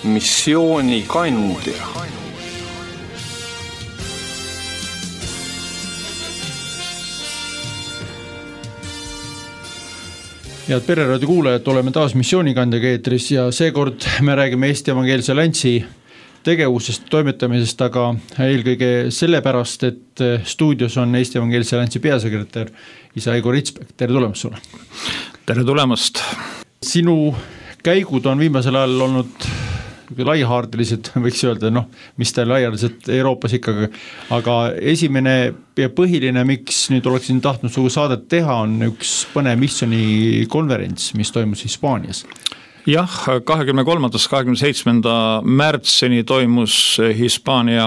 missioonikandja. Head Pereraadio kuulajad, oleme taas missioonikandjaga eetris ja seekord me räägime Eesti Evangeelse Alliansi tegevusest, toimetamisest, aga eelkõige sellepärast, et stuudios on Eesti Evangeelse Alliansi peasekretär isa Igor Ritsberg. Tere tulemast sulle! Tere tulemast! Sinu käigud on viimasel ajal olnud laiahaardelised, võiks öelda, mis ta laialiselt Euroopas ikkagi, aga esimene ja põhiline, miks nüüd oleksin tahtnud sugu saadet teha, on üks põnev missioni konverents, mis toimus Hispaanias. Jah, 23. 27. märtsini toimus Hispaania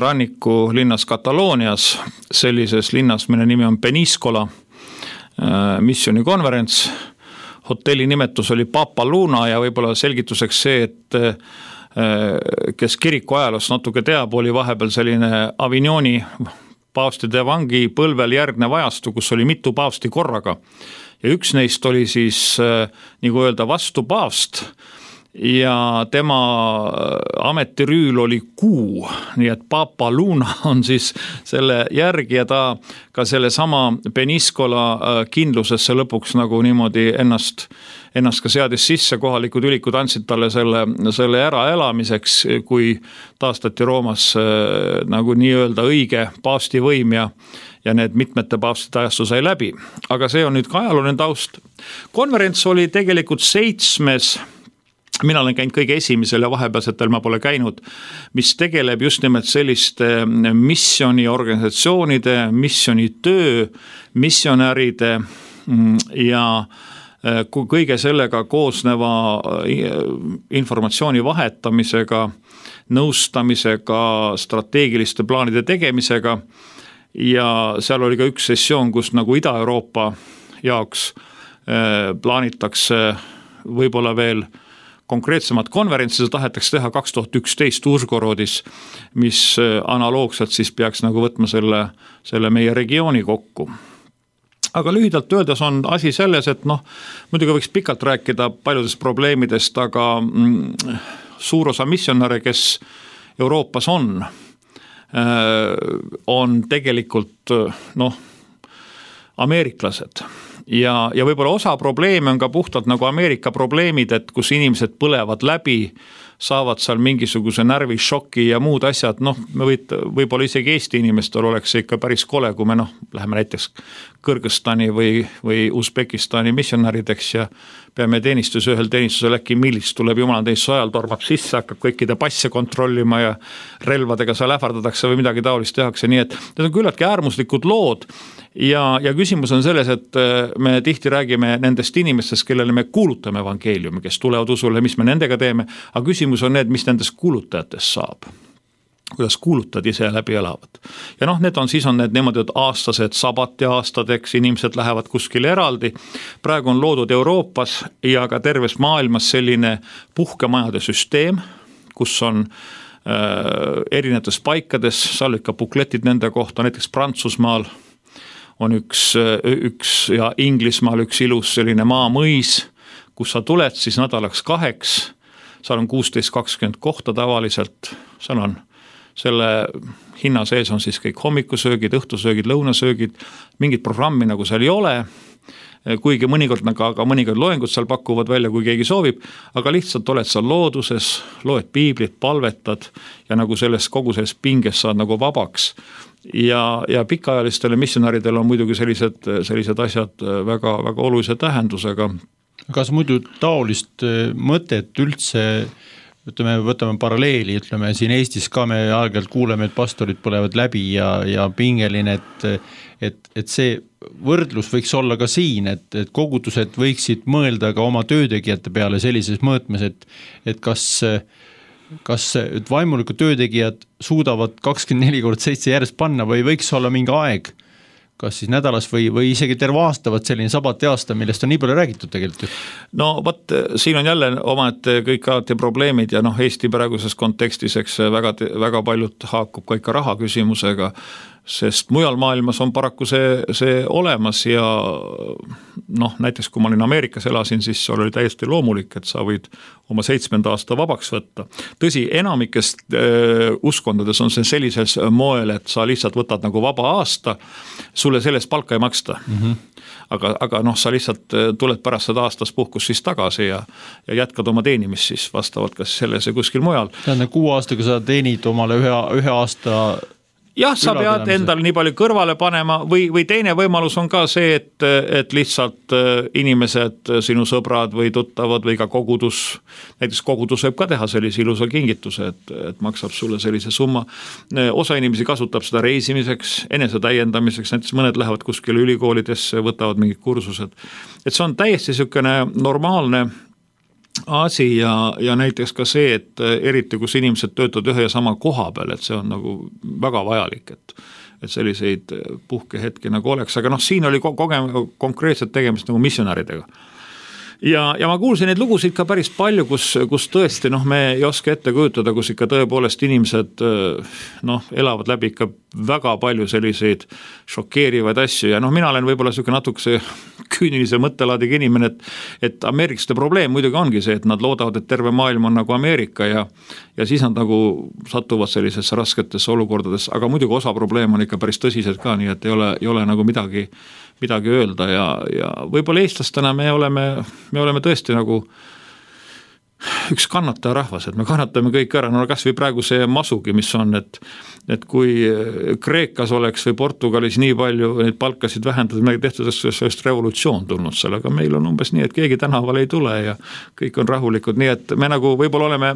ranniku linnas Kataloonias, sellises linnas, mille nimi on Peníscola missioni konverents. Hotelli nimetus oli Papa Luna ja võib-olla selgituseks see, et kes kiriku ajaloos natuke teab, oli vahepeal selline Avignoni paavstide vangi põlvel järgnev ajastu, kus oli mitu paavsti korraga. Ja üks neist oli siis, nagu öelda, vastu paavst ja tema ametirüül oli kuu, nii et Papa Luna on siis selle järgi ja ta ka selle sama Peníscola kindlusesse lõpuks nagu niimoodi ennast ka seadis sisse, kohalikud ülikud andsid talle selle äraelamiseks, kui taastati Roomas nagu nii-öelda õige paavsti võim ja need mitmete paavstide ajastu sai läbi. Aga see on nüüd ka ajalooline taust. Konverents oli tegelikult 7. Mina olen käinud kõige esimesel ja vahepealsetel ma pole käinud, mis tegeleb just nimelt selliste missioniorganisatsioonide, missionitöö, missionäride ja kõige sellega koosneva informatsiooni vahetamisega, nõustamisega, strateegiliste plaanide tegemisega ja seal oli ka üks sessioon, kus nagu Ida-Euroopa jaoks plaanitakse võib-olla veel konkreetsemad konverentsid tahetakse teha 2011 Užgorodis, mis analoogselt siis peaks nagu võtma selle meie regiooni kokku. Aga lühidalt öeldes on asi selles, et muidugi võiks pikalt rääkida paljudest probleemidest, aga suur osa missionäre, kes Euroopas on tegelikult ameeriklased. Ja võib-olla osa probleeme on ka puhtalt nagu Ameerika probleemid, et kus inimesed põlevad läbi, saavad seal mingisuguse närvišoki ja muud asjad, võib-olla isegi Eesti inimestel oleks see ikka päris kole, kui me läheme näiteks Kõrgõzstani või Usbekistani missionärideks ja peame ühel teenistusel äkki millis tuleb jumalateenistuse ajal, tormab sisse, hakkab kõikide passe kontrollima ja relvadega seal ähvardatakse või midagi taolist tehakse, nii et need on küllaltki äärmuslikud lood ja küsimus on selles, et me tihti räägime nendest inimestest, kellele me kuulutame evangeeliumi, kes tulevad usule, mis me nendega teeme, aga küsimus on need, mis nendest kuulutajatest saab. Kuidas kuulutajad ise läbi elavad. Ja need on need niimoodi, et aastased sabati aastadeks, inimesed lähevad kuskile eraldi. Praegu on loodud Euroopas ja ka terves maailmas selline puhkemajade süsteem, kus on erinevates paikades, seal ikka bukletid nende kohta, näiteks Prantsusmaal on üks ja Inglismaal üks ilus selline maamõis, kus sa tuled siis nädalaks 2, seal on 16-20 kohta tavaliselt, seal on selle hinna sees on siis kõik hommikusöögid, õhtusöögid, lõunasöögid, mingit programmi nagu seal ei ole, kuigi mõnikord loengud seal pakuvad välja, kui keegi soovib, aga lihtsalt oled seal looduses, loed piiblit, palvetad ja nagu kogu selles pinges saad nagu vabaks. Ja pikaajalistele missionaridele on muidugi sellised asjad väga, väga olulise tähendusega. Kas muidu taolist mõtet üldse võtame paralleeli, siin Eestis ka me aeg-ajalt kuuleme, et pastorid põlevad läbi ja pingeline, et see võrdlus võiks olla ka siin, et kogudused võiksid mõelda ka oma töötegijate peale sellises mõõtmes, et kas vaimulikud töötegijad suudavad 24/7 järjest panna või võiks olla mingi aeg, kas siis nädalas või isegi terve aasta selline sabati aasta, millest on nii palju räägitud tegelikult? Siin on jälle omad kõik alati probleemid ja Eesti praeguses kontekstis väga paljud haakub ka ikka raha küsimusega. sest mujal maailmas on paraku see olemas ja noh, näiteks kui ma olin Ameerikas elasin, siis oli täiesti loomulik, et sa võid oma 7. aasta vabaks võtta. Tõsi, enamikest uskondades on see sellises moel, et sa lihtsalt võtad nagu vaba aasta, sulle sellest palka ei maksta. Aga noh, sa lihtsalt tuled pärast seda aastas puhkus siis tagasi ja jätkad oma teenimist siis vastavalt kas selles ja kuskil mujal. Tähendab, 6 aastaga sa teenid omale ühe aasta. Jah, sa pead endal nii palju kõrvale panema või teine võimalus on ka see, et lihtsalt inimesed, sinu sõbrad või tuttavad või ka kogudus, näiteks kogudus võib ka teha sellise ilusa kingituse, et maksab sulle sellise summa. Osa inimesi kasutab seda reisimiseks, enese täiendamiseks, näiteks mõned lähevad kuskile ülikoolidesse, võtavad mingid kursused. Et see on täiesti niisugune normaalne asi ja näiteks ka see, et eriti kus inimesed töötavad ühe ja sama koha peal, et see on nagu väga vajalik, et selliseid puhkehetki nagu oleks, aga noh, siin oli konkreetselt tegemist nagu missionäridega. Ja ma kuulsin neid lugusid ka päris palju, kus tõesti me ei oska ette kujutada, kus ikka tõepoolest inimesed elavad läbi ikka väga palju selliseid šokeerivaid asju ja mina olen võib-olla niisugune natukese küünilise mõttelaadiga inimene, et ameeriklaste probleem muidugi ongi see, et nad loodavad, et terve maailm on nagu Ameerika ja siis nad nagu satuvad sellisesse rasketesse olukordades, aga muidugi osa probleem on ikka päris tõsised ka, nii et ei ole nagu midagi öelda ja võib-olla eestlastena me oleme tõesti nagu üks kannataja rahvas, et me kannatame kõik ära, no kas või praegu see masugi, mis on, et kui Kreekas oleks või Portugalis nii palju neid palkasid vähendada, me tehtud sellest revolutsioon tulnud sellega, meil on umbes nii, et keegi tänaval ei tule ja kõik on rahulikud, nii et me nagu võib-olla oleme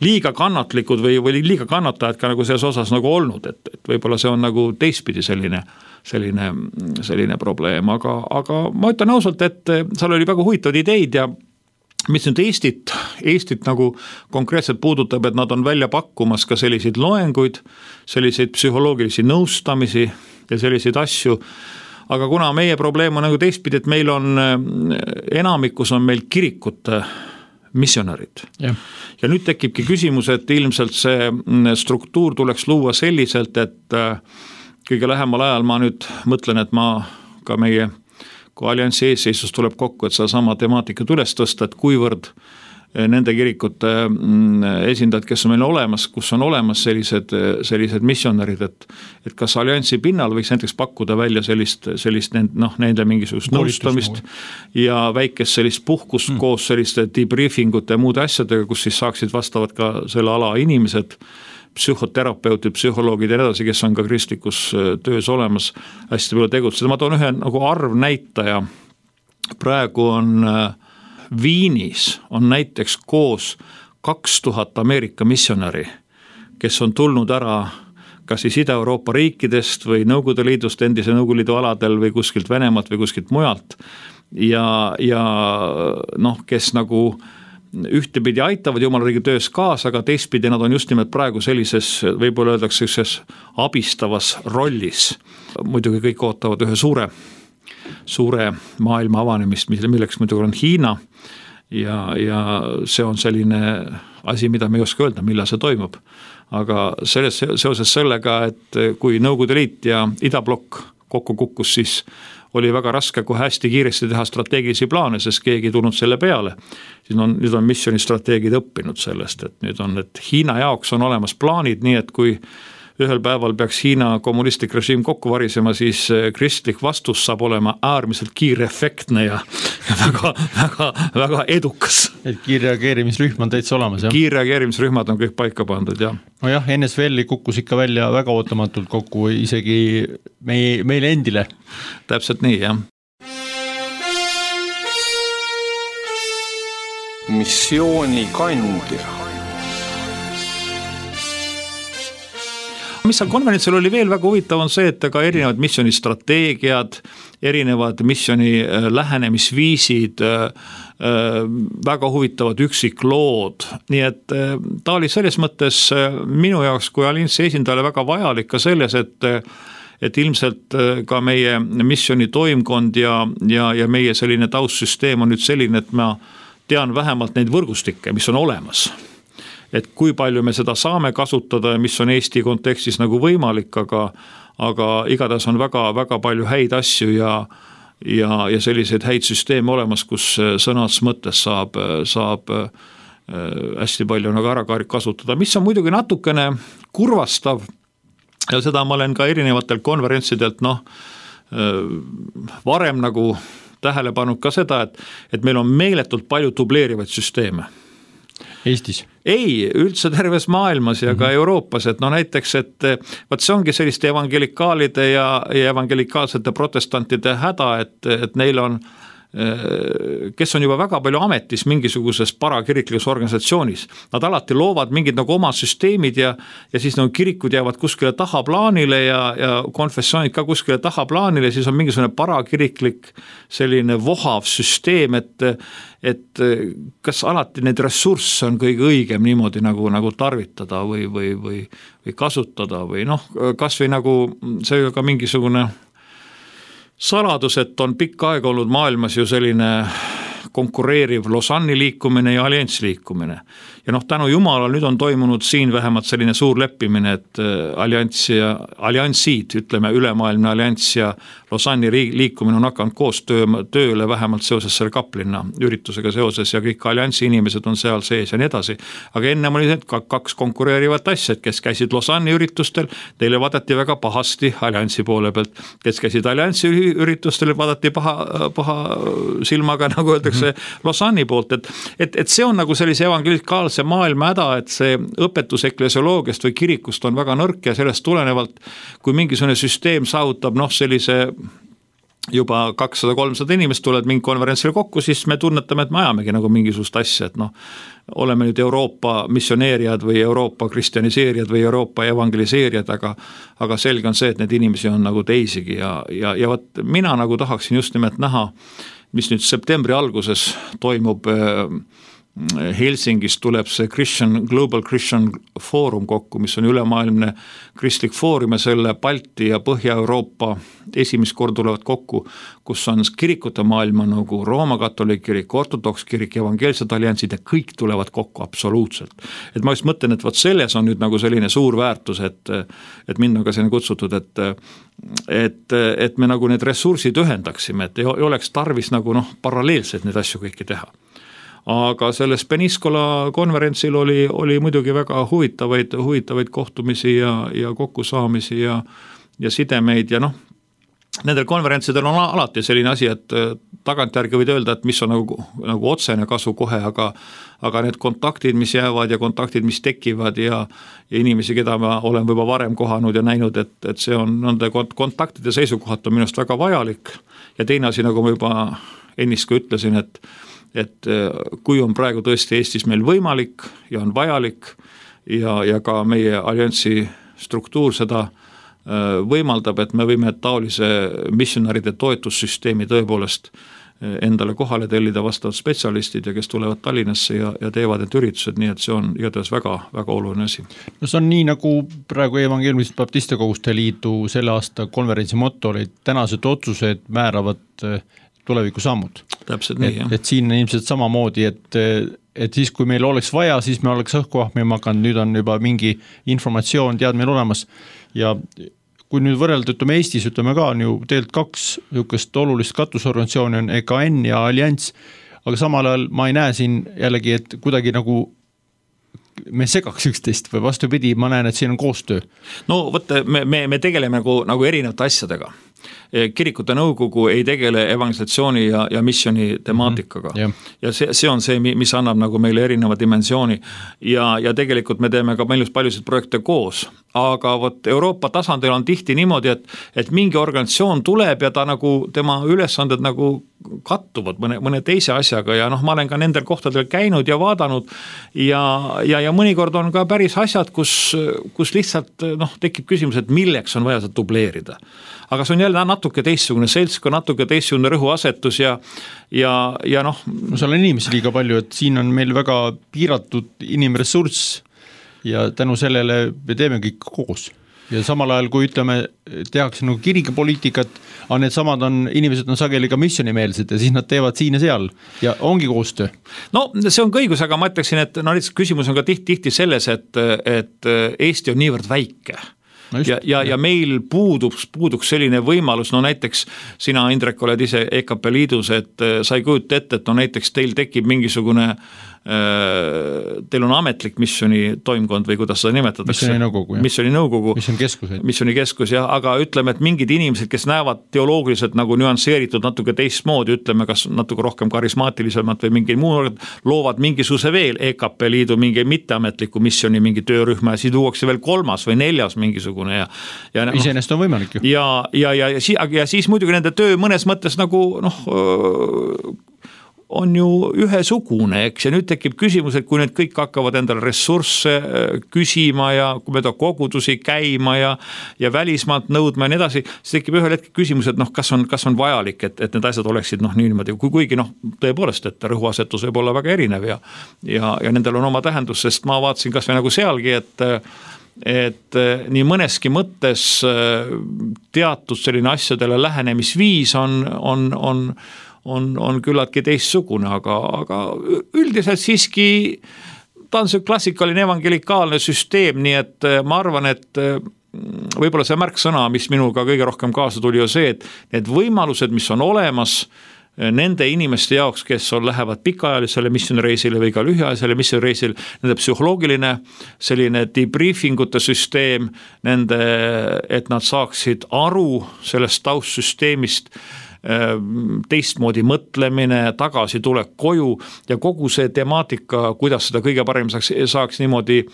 liiga kannatlikud või liiga kannatajad ka nagu selles osas nagu olnud, et võib-olla see on nagu teistpidi selline probleem, aga ma ütlen ausalt, et seal oli väga huvitavad ideid ja mis nüüd Eestit nagu konkreetselt puudutab, et nad on välja pakkumas ka selliseid loenguid, selliseid psühholoogilisi nõustamisi ja selliseid asju, aga kuna meie probleem on nagu teistpidi, et meil on enamikus on meil kirikute missionärid. Ja nüüd tekibki küsimus, et ilmselt see struktuur tuleks luua selliselt, et kõige lähemal ajal ma nüüd mõtlen, et ma ka meie kui alliansi eesseisus tuleb kokku, et sama temaatikat üles tõsta, et kuivõrd nende kirikute esindajad, kes on meil olemas, kus on olemas sellised missionärid, et kas alliansi pinnal võiks näiteks pakkuda välja sellist nende mingisugust nõustamist ja väikest sellist puhkust koos selliste debriefingute ja muude asjadega, kus siis saaksid vastavad ka selle ala inimesed, psühhoterapeutid, psühholoogid ja edasi, kes on ka kristlikus töös olemas, hästi palju tegutseda. Ma toon ühe nagu arvnäitaja. Praegu on Viinis on näiteks koos 2000 Ameerika missionäri, kes on tulnud ära kas siis Ida-Euroopa riikidest või Nõukogude Liidust, endise Nõukogude Liidu aladel või kuskilt Venemaalt või kuskilt mujalt ja kes nagu ühtepidi aitavad Jumala riigi töös kaasa, aga teistpidi nad on just nimelt praegu sellises, võib-olla öeldakse abistavas rollis. Muidugi kõik ootavad ühe suure maailma avanemist, milleks muidugi on Hiina ja see on selline asi, mida me ei oska öelda, millal see toimub. Aga seoses sellega, et kui Nõukogude Liit ja Idablokk kokku kukkus, siis oli väga raske kohe hästi kiiresti teha strateegilisi plaane, sest keegi ei tulnud selle peale. Nüüd on missionistrateegid õppinud sellest, et Hiina jaoks on olemas plaanid, nii et kui ühel päeval peaks Hiina kommunistlik režiim kokku varisema, siis kristlik vastus saab olema äärmiselt kiirefektne ja väga edukas. Et kiirreageerimisrühm on täitsa olemas, jah? Kiirreageerimisrühmad on kõik paika pandud, jah. No jah, NSV-li kukkus ikka välja väga ootamatult kokku, isegi meile endile. Täpselt nii, jah. Missiooni kandja. Mis seal konverentsil oli veel väga huvitav on see, et ka erinevad missionistrateegiad, erinevad missioni lähenemisviisid, väga huvitavad üksiklood, nii et ta oli selles mõttes minu jaoks kui alliansi esindajale väga vajalik ka selles, et ilmselt ka meie missioni toimkond ja meie selline taustsüsteem on nüüd selline, et ma tean vähemalt neid võrgustikke, mis on olemas. Et kui palju me seda saame kasutada ja mis on Eesti kontekstis nagu võimalik, aga igatahes on väga palju häid asju ja selliseid häid süsteeme olemas, kus sõnas mõttes saab hästi palju nagu ära kasutada, mis on muidugi natukene kurvastav ja seda ma olen ka erinevatel konverentsidelt varem nagu tähele pannud ka seda, et meil on meeletult palju dubleerivaid süsteeme. Eestis? Ei, üldse terves maailmas ja ka Euroopas, et näiteks, et vaat see ongi selliste evangelikaalide ja evangelikaalsete protestantide häda, et neil on, kes on juba väga palju ametis mingisuguses parakiriklikus organisatsioonis. Nad alati loovad mingid nagu oma süsteemid ja siis nagu kirikud jäävad kuskile tahaplaanile ja konfessioonid ka kuskile tahaplaanile, siis on mingisugune parakiriklik selline vohav süsteem, et kas alati need ressursse on kõige õigem niimoodi nagu tarvitada või kasutada või kas või nagu see ka mingisugune saladus, et on pikka aega olnud maailmas ju selline konkureeriv Lausanne'i liikumine ja alliansi liikumine. Ja tänu Jumalal nüüd on toimunud siin vähemalt selline suur leppimine, et alliansid, ütleme ülemaailmne allianss ja Lausanne'i liikumine on hakanud koos tööle vähemalt seoses selle Kaplinna üritusega seoses ja kõik alliansi inimesed on seal sees ja nii edasi. Aga ennem oli need kaks konkureerivat asja, kes käisid Lausanne'i üritustel, teile vaadati väga pahasti alliansi poole pealt, kes käisid alliansi üritustel, vaadati paha silmaga, nagu öeldakse Lausanne'i poolt, et see on nagu sellise evangelikaalse maailma häda, et see õpetus eklesioloogiast või kirikust on väga nõrk ja sellest tulenevalt, kui mingisugune süsteem saavutab sellise juba 200-300 inimest tulevad mingi konverentsile kokku, siis me tunnetame, et me ajamegi nagu mingisugust asja, et oleme nüüd Euroopa missioneerijad või Euroopa kristjaniseerijad või Euroopa evangeliseerijad, aga selge on see, et need inimesi on nagu teisigi ja võt, mina nagu tahaksin just nimelt näha, mis nüüd septembri alguses toimub Helsingis tuleb see Global Christian Forum kokku, mis on ülemaailmne kristlik foorum ja selle Balti ja Põhja-Euroopa esimest kord tulevad kokku, kus on kirikute maailma nagu Rooma katoliik kirik, ortodoks kirik, evangeelsed alliansid ja kõik tulevad kokku absoluutselt. Et ma just mõtlen, et selles on nüüd nagu selline suur väärtus, et mind on ka selline kutsutud, et me nagu need ressursid ühendaksime, et ei oleks tarvis nagu paralleelselt neid asju kõiki teha. Aga selles Peniscola konverentsil oli muidugi väga huvitavaid kohtumisi ja kokkusaamisi ja sidemeid ja nendel konverentsidel on alati selline asi, et tagantjärgi võid öelda, et mis on nagu otsene kasu kohe, aga need kontaktid, mis jäävad ja kontaktid, mis tekivad ja inimesi, keda ma olen juba varem kohanud ja näinud, et see on nende kontaktide seisukohalt on minust väga vajalik ja teine asi, nagu ma juba ennist ka ütlesin, et kui on praegu tõesti Eestis meil võimalik ja on vajalik ja ka meie alliansi struktuur seda võimaldab, et me võime taolise missionäride toetussüsteemi tõepoolest endale kohale tellida vastavad spetsialistid ja kes tulevad Tallinnasse ja teevad need üritused, nii et see on igatahes väga, väga oluline asi. No see on nii, nagu praegu Evangeelmist Baptiste Koguste Liidu selle aasta konverentsi motto oli, tänased otsused määravad tulevikusammud. Täpselt nii, jah. Et siin ilmselt samamoodi, et siis kui meil oleks vaja, siis me oleks õhku ahmima hakanud, nüüd on juba mingi informatsioon teadmine olemas ja kui nüüd võrrelda, ütleme Eestis, ütleme ka on ju tegelikult kaks niisugust olulist katusorganisatsiooni on EKN ja Allianss, aga samal ajal ma ei näe siin jällegi, et kuidagi nagu me segaks üksteist või vastupidi, ma näen, et siin on koostöö. No võtte, me tegeleme nagu erinevate asjadega. Kirikute nõukogu ei tegele evangelisatsiooni ja missioni temaatikaga ja see on see, mis annab nagu meile erineva dimensiooni ja tegelikult me teeme ka paljusid projekte koos, aga võt Euroopa tasandil on tihti niimoodi, et mingi organisatsioon tuleb ja ta nagu tema ülesanded nagu kattuvad mõne teise asjaga ja ma olen ka nendel kohtadel käinud ja vaadanud ja mõnikord on ka päris asjad, kus lihtsalt tekib küsimus, et milleks on vaja seda dubleerida. Aga see on jälle natuke teistsugune seltska, natuke teistsugune rõhuasetus ja No seal on inimesi liiga palju, et siin on meil väga piiratud inimressurss ja tänu sellele me teeme kõik koos. Ja samal ajal, kui ütleme, tehakse nagu kirikepoliitikat, aga need samad inimesed on sageli ka missionimeelsed ja siis nad teevad siin ja seal ja ongi koostöö. No see on õigus, aga ma ütleksin, et lihtsalt küsimus on ka tihti selles, et Eesti on niivõrd väike. ja meil puuduks selline võimalus, no näiteks sina, Indrek, oled ise EKP liidus, et sa ei kujuta ette, et no näiteks teil tekib mingisugune teil on ametlik missiooni toimkond või kuidas seda nimetatakse? Missiooni nõukogu. Missiooni keskus, jah, aga ütleme, et mingid inimesed, kes näevad teoloogiliselt nagu nüansseeritud natuke teistmoodi, ütleme, kas natuke rohkem karismaatilisemalt või mingi muu, loovad mingisuguse veel EKP liidu mingi mitteametliku missiooni mingi töörühma ja siis tuuakse veel 3. või 4. mingisugune ja iseenesest on võimalik ju. Ja siis muidugi nende töö mõnes mõttes nagu on ju ühesugune, eks, ja nüüd tekib küsimus, et kui need kõik hakkavad endale ressursse küsima ja kui mööda kogudusi käima ja välismaalt nõudma ja nii edasi, siis tekib ühel hetkel küsimus, et kas on vajalik, et need asjad oleksid niimoodi, kuigi tõepoolest, et rõhuasetus võib olla väga erinev ja nendel on oma tähendus, sest ma vaatasin kas või nagu sealgi, et nii mõneski mõttes teatud selline asjadele lähenemisviis on küllaltki teistsugune, aga üldiselt siiski ta on see klassikaline evangelikaalne süsteem, nii et ma arvan, et võib-olla see märksõna, mis minuga kõige rohkem kaasa tuli, on see, et need võimalused, mis on olemas nende inimeste jaoks, kes lähevad pikaajalisele missioonireisile või ka lühiajalisele missioonireisile, nende psühholoogiline selline debriefingute süsteem, et nad saaksid aru sellest taustsüsteemist, teistmoodi mõtlemine, tagasi tulek koju ja kogu see temaatika, kuidas seda kõige parem saaks niimoodi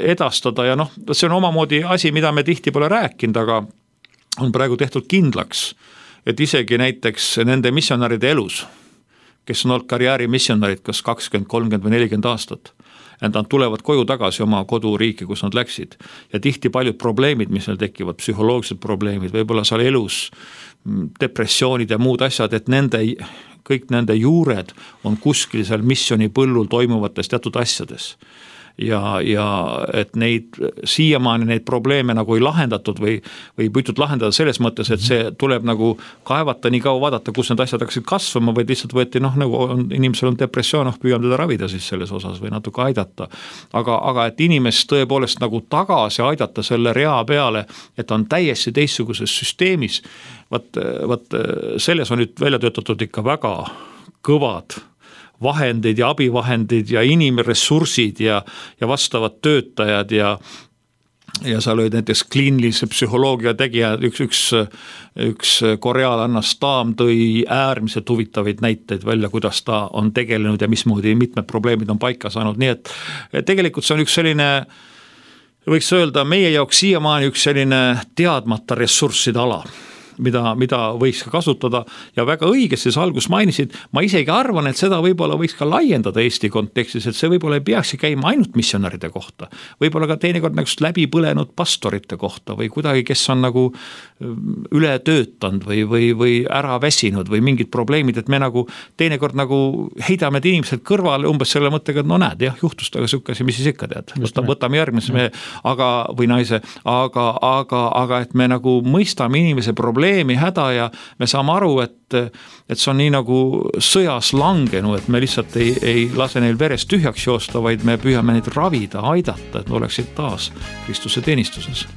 edastada ja see on omamoodi asi, mida me tihti pole rääkinud, aga on praegu tehtud kindlaks, et isegi näiteks nende missionäride elus, kes on olnud karjääri missionärid kas 20, 30 või 40 aastat, et nad tulevad koju tagasi oma koduriiki, kus nad läksid ja tihti paljud probleemid, mis neil tekivad, psühholoogilised probleemid, võib-olla seal elus depressioonid ja muud asjad, et kõik nende juured on kuskil seal missiooni põllul toimuvates teatud asjades. Ja et siiamaani neid probleeme nagu ei lahendatud või püütud lahendada selles mõttes, et see tuleb nagu kaevata nii kaua vaadata, kus need asjad hakkasid kasvama, või lihtsalt võeti, nagu inimesel on depressioon, püüame teda ravida siis selles osas või natuke aidata. Aga et inimest tõepoolest nagu tagasi aidata selle rea peale, et on täiesti teistsuguses süsteemis, vaat selles on nüüd välja töötatud ikka väga kõvad vahendid ja abivahendid ja inimressursid ja vastavad töötajad ja seal olid näiteks kliinilise psühholoogia tegija, üks korealanna Staam tõi äärmiselt huvitavaid näiteid välja, kuidas ta on tegelenud ja mismoodi mitmed probleemid on paika saanud, nii et tegelikult see on üks selline, võiks öelda meie jaoks siiamaani üks selline teadmata ressursside ala, mida võiks ka kasutada ja väga õigesti sa algus mainisid, ma isegi arvan, et seda võib-olla võiks ka laiendada Eesti kontekstis, et see võib-olla ei peakski käima ainult missionäride kohta, võib-olla ka teinekord nagu läbi põlenud pastorite kohta või kuidagi, kes on nagu üle töötanud või ära väsinud või mingid probleemid, et me nagu teinekord nagu heidame need inimesed kõrvale umbes selle mõttega, et no näed, jah, juhtus taga sihukesi, mis siis ikka tead, võtame järgmise või naise, aga et me nagu mõistame inimese probleemi, häda ja me saame aru, et see on nii nagu sõjas langenu, et me lihtsalt ei lase neil verest tühjaks joosta, vaid me püüame neid ravida, aidata, et nad oleksid taas Kristuse teenistuses.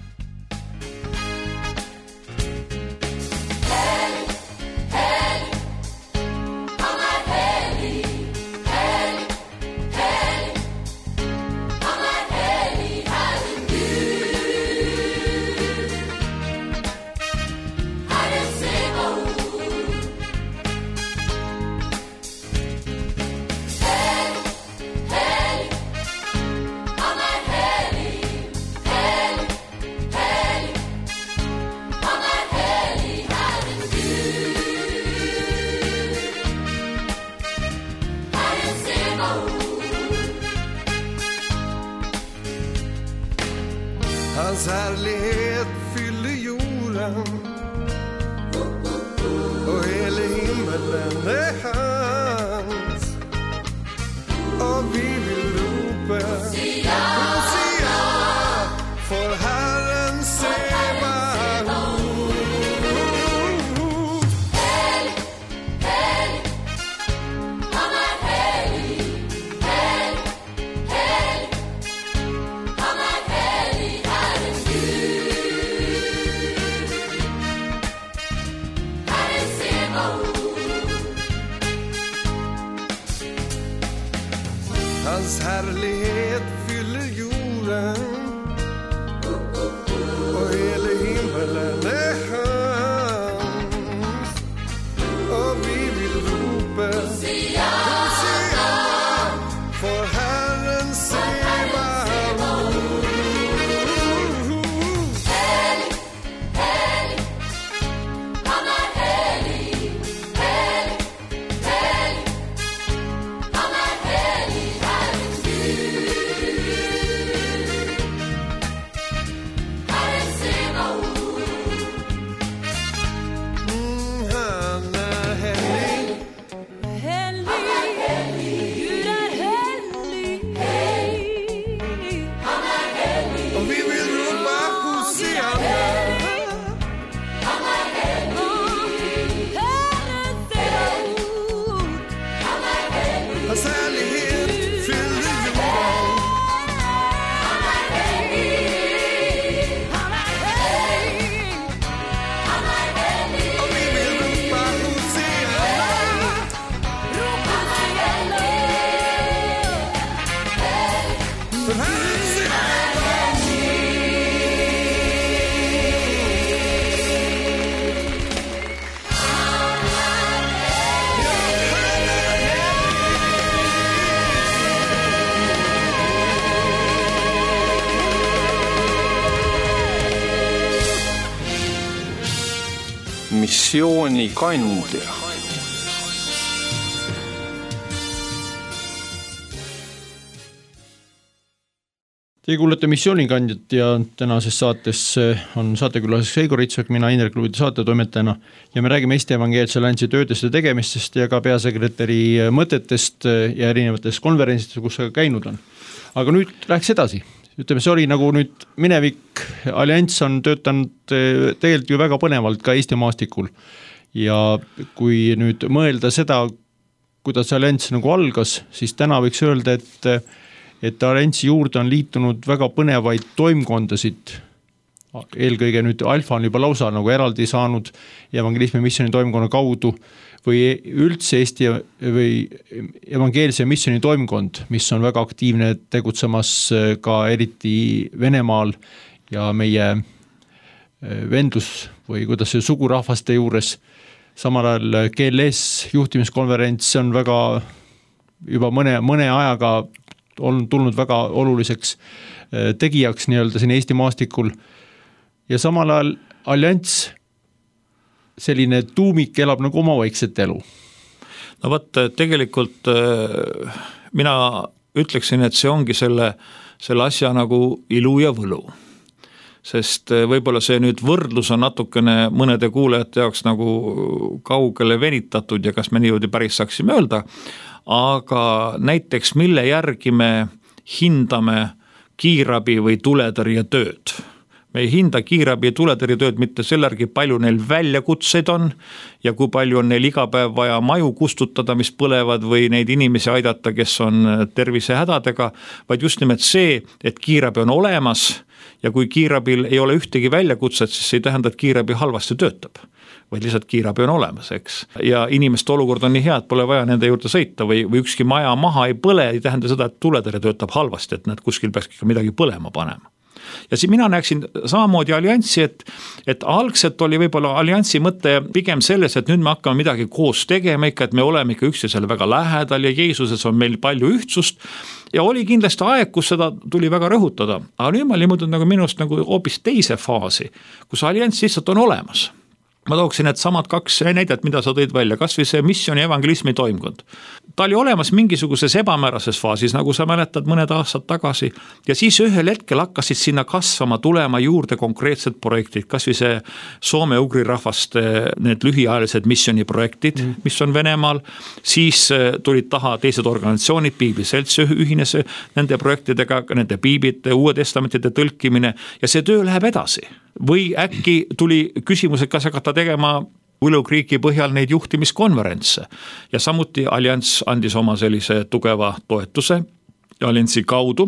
Hans härlighet fyller jorden och hela himmelen är hans, och vi vill ropa Hosea, för Herren Sebaot. Helig, helig, han är helig, helig, helig, han är helig, Herren Gud. missioonikandja. Teie kuulete missioonikandjat ja tänases saates on saatekülaseks Eigo Ritsak, mina Indrek Luudi saatetoimetajana ja me räägime Eesti Evangeelse Alliansi töödest ja tegemistest ja ka peasekretäri mõtetest ja erinevatest konverentsidest, kus sa käinud on. Aga nüüd läheks edasi. Ütleme, see oli nagu nüüd minevik, Allianss on töötanud tegelikult ju väga põnevalt ka Eesti maastikul ja kui nüüd mõelda seda, kuidas Allianss nagu algas, siis täna võiks öelda, et Alliansi juurde on liitunud väga põnevaid toimkondasid. Eelkõige nüüd Alfa on juba lausa nagu eraldi saanud evangelismi missioni toimkonna kaudu või üldse Eesti või evangeelse missioni toimkond, mis on väga aktiivne tegutsemas ka eriti Venemaal ja meie vendlus või kuidas see sugurahvaste juures. Samal ajal GLS juhtimiskonverents on väga juba mõne ajaga on tulnud väga oluliseks tegijaks nii-öelda siin Eesti maastikul ja samal ajal Allianss selline tuumik elab nagu oma vaikset elu. No võt, tegelikult mina ütleksin, et see ongi selle asja nagu ilu ja võlu. Sest võib-olla see nüüd võrdlus on natukene mõnede kuulajate jaoks nagu kaugele venitatud ja kas me niimoodi päris saaksime öelda, aga näiteks mille järgi me hindame kiirabi või tuletõrje tööd. Me ei hinda kiirabi ja tuletõrje tööd mitte selle järgi, palju neil väljakutseid on ja kui palju on neil iga päev vaja maju kustutada, mis põlevad või neid inimesi aidata, kes on tervisehädadega, vaid just nimelt see, et kiirabi on olemas ja kui kiirabil ei ole ühtegi väljakutset, siis see ei tähenda, et kiirabi halvasti töötab, vaid lihtsalt kiirabi on olemas, eks. Ja inimeste olukord on nii hea, et pole vaja nende juurde sõita või ükski maja maha ei põle, ei tähenda seda, et tuletõrje töötab halvasti, et nad kuskil peaks ikka midagi põlema panema. Ja siin mina näeksin samamoodi Allianssi, et algselt oli võib-olla Allianssi mõte pigem selles, et nüüd me hakkame midagi koos tegema ikka, et me oleme ikka üksteisele väga lähedal ja Jeesuses on meil palju ühtsust ja oli kindlasti aeg, kus seda tuli väga rõhutada, aga nüüd ma limutud nagu minust nagu hoopis teise faasi, kus Allianss lihtsalt on olemas. Ma tooksin, et samad kaks näidet, mida sa tõid välja, kas või see missiooni evangelismi toimkond. Ta oli olemas mingisuguses ebamäärases faasis, nagu sa mäletad mõned aastad tagasi, ja siis ühel hetkel hakkasid sinna kasvama, tulema juurde konkreetsed projektid, kas või see soome-ugri rahvaste need lühiajalised missioniprojektid, mis on Venemaal, siis tulid taha teised organisatsioonid, Piibliselts ühines nende projektidega, nende piiblite, Uue Testamentide tõlkimine ja see töö läheb edasi. Või äkki tuli küsimus, et kas hakata tegema Willow Creeki põhjal neid juhtimiskonverentse ja samuti Allianss andis oma sellise tugeva toetuse Allianssi kaudu.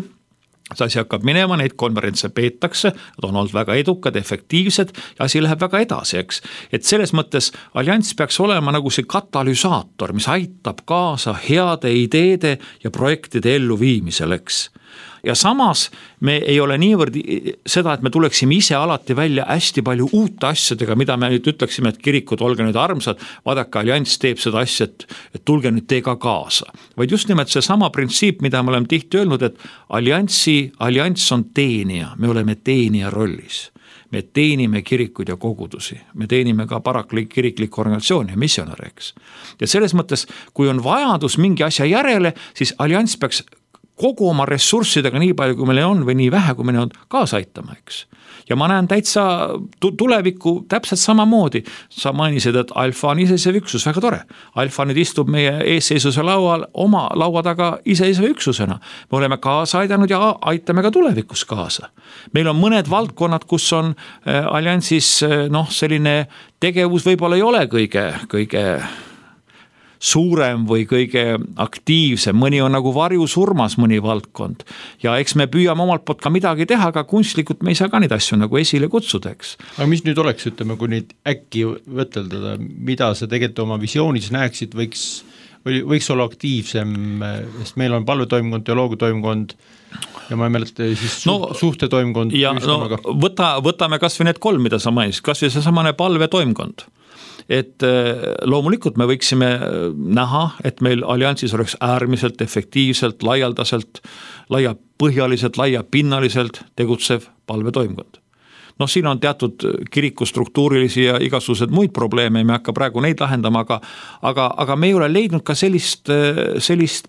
See asi hakkab minema, neid konverentse peetakse, nad on olnud väga edukad, efektiivsed ja asi läheb väga edasi, eks. Et selles mõttes Allianss peaks olema nagu see katalüsaator, mis aitab kaasa heade ideede ja projektide elluviimisel, eks. Ja samas me ei ole niivõrd seda, et me tuleksime ise alati välja hästi palju uute asjadega, mida me nüüd ütleksime, et kirikud, olge nüüd armsad, vaadake, Allianss teeb seda asja, et tulge nüüd teiega kaasa. Vaid just nimelt see sama printsiip, mida me oleme tihti öelnud, et Allianss on teenija, me oleme teenija rollis. Me teenime kirikuid ja kogudusi, me teenime ka kiriklikku organisatsiooni ja missionäriks. Ja selles mõttes, kui on vajadus mingi asja järele, siis Allianss peaks kogu oma ressurssidega nii palju, kui meil on või nii vähe, kui meil on kaasa aitama, eks. Ja ma näen täitsa tulevikku täpselt samamoodi. Sa mainisid, et Alfa on iseseisev üksus, väga tore. Alfa nüüd istub meie eesseisuse laual oma laua taga iseseisev üksusena. Me oleme kaasa aidanud ja aitame ka tulevikus kaasa. Meil on mõned valdkonnad, kus on Allianssis selline tegevus võib-olla ei ole kõige suurem või kõige aktiivsem, mõni on nagu varjusurmas mõni valdkond ja eks me püüame omalt poolt ka midagi teha, aga kunstlikult me ei saa ka neid asju nagu esile kutsuda, eks. Aga mis nüüd oleks, ütleme, kui neid äkki võteldada, mida sa tegelikult oma visioonis näeksid, võiks olla aktiivsem, sest meil on palvetoimkond, teoloogiatoimkond ja ma ei mäleta siis suhtetoimkond. Ja võtame kas või need 3, mida sa mainisid, kas või see samane palvetoimkond. Et loomulikult me võiksime näha, et meil Allianssis oleks äärmiselt efektiivselt, laialdaselt, laiapõhjaliselt, laiapinnaliselt tegutsev palvetoimkond. noh, siin on teatud kirikustruktuurilisi ja igasugused muid probleeme, me hakka praegu neid lahendama, aga me ei ole leidnud ka sellist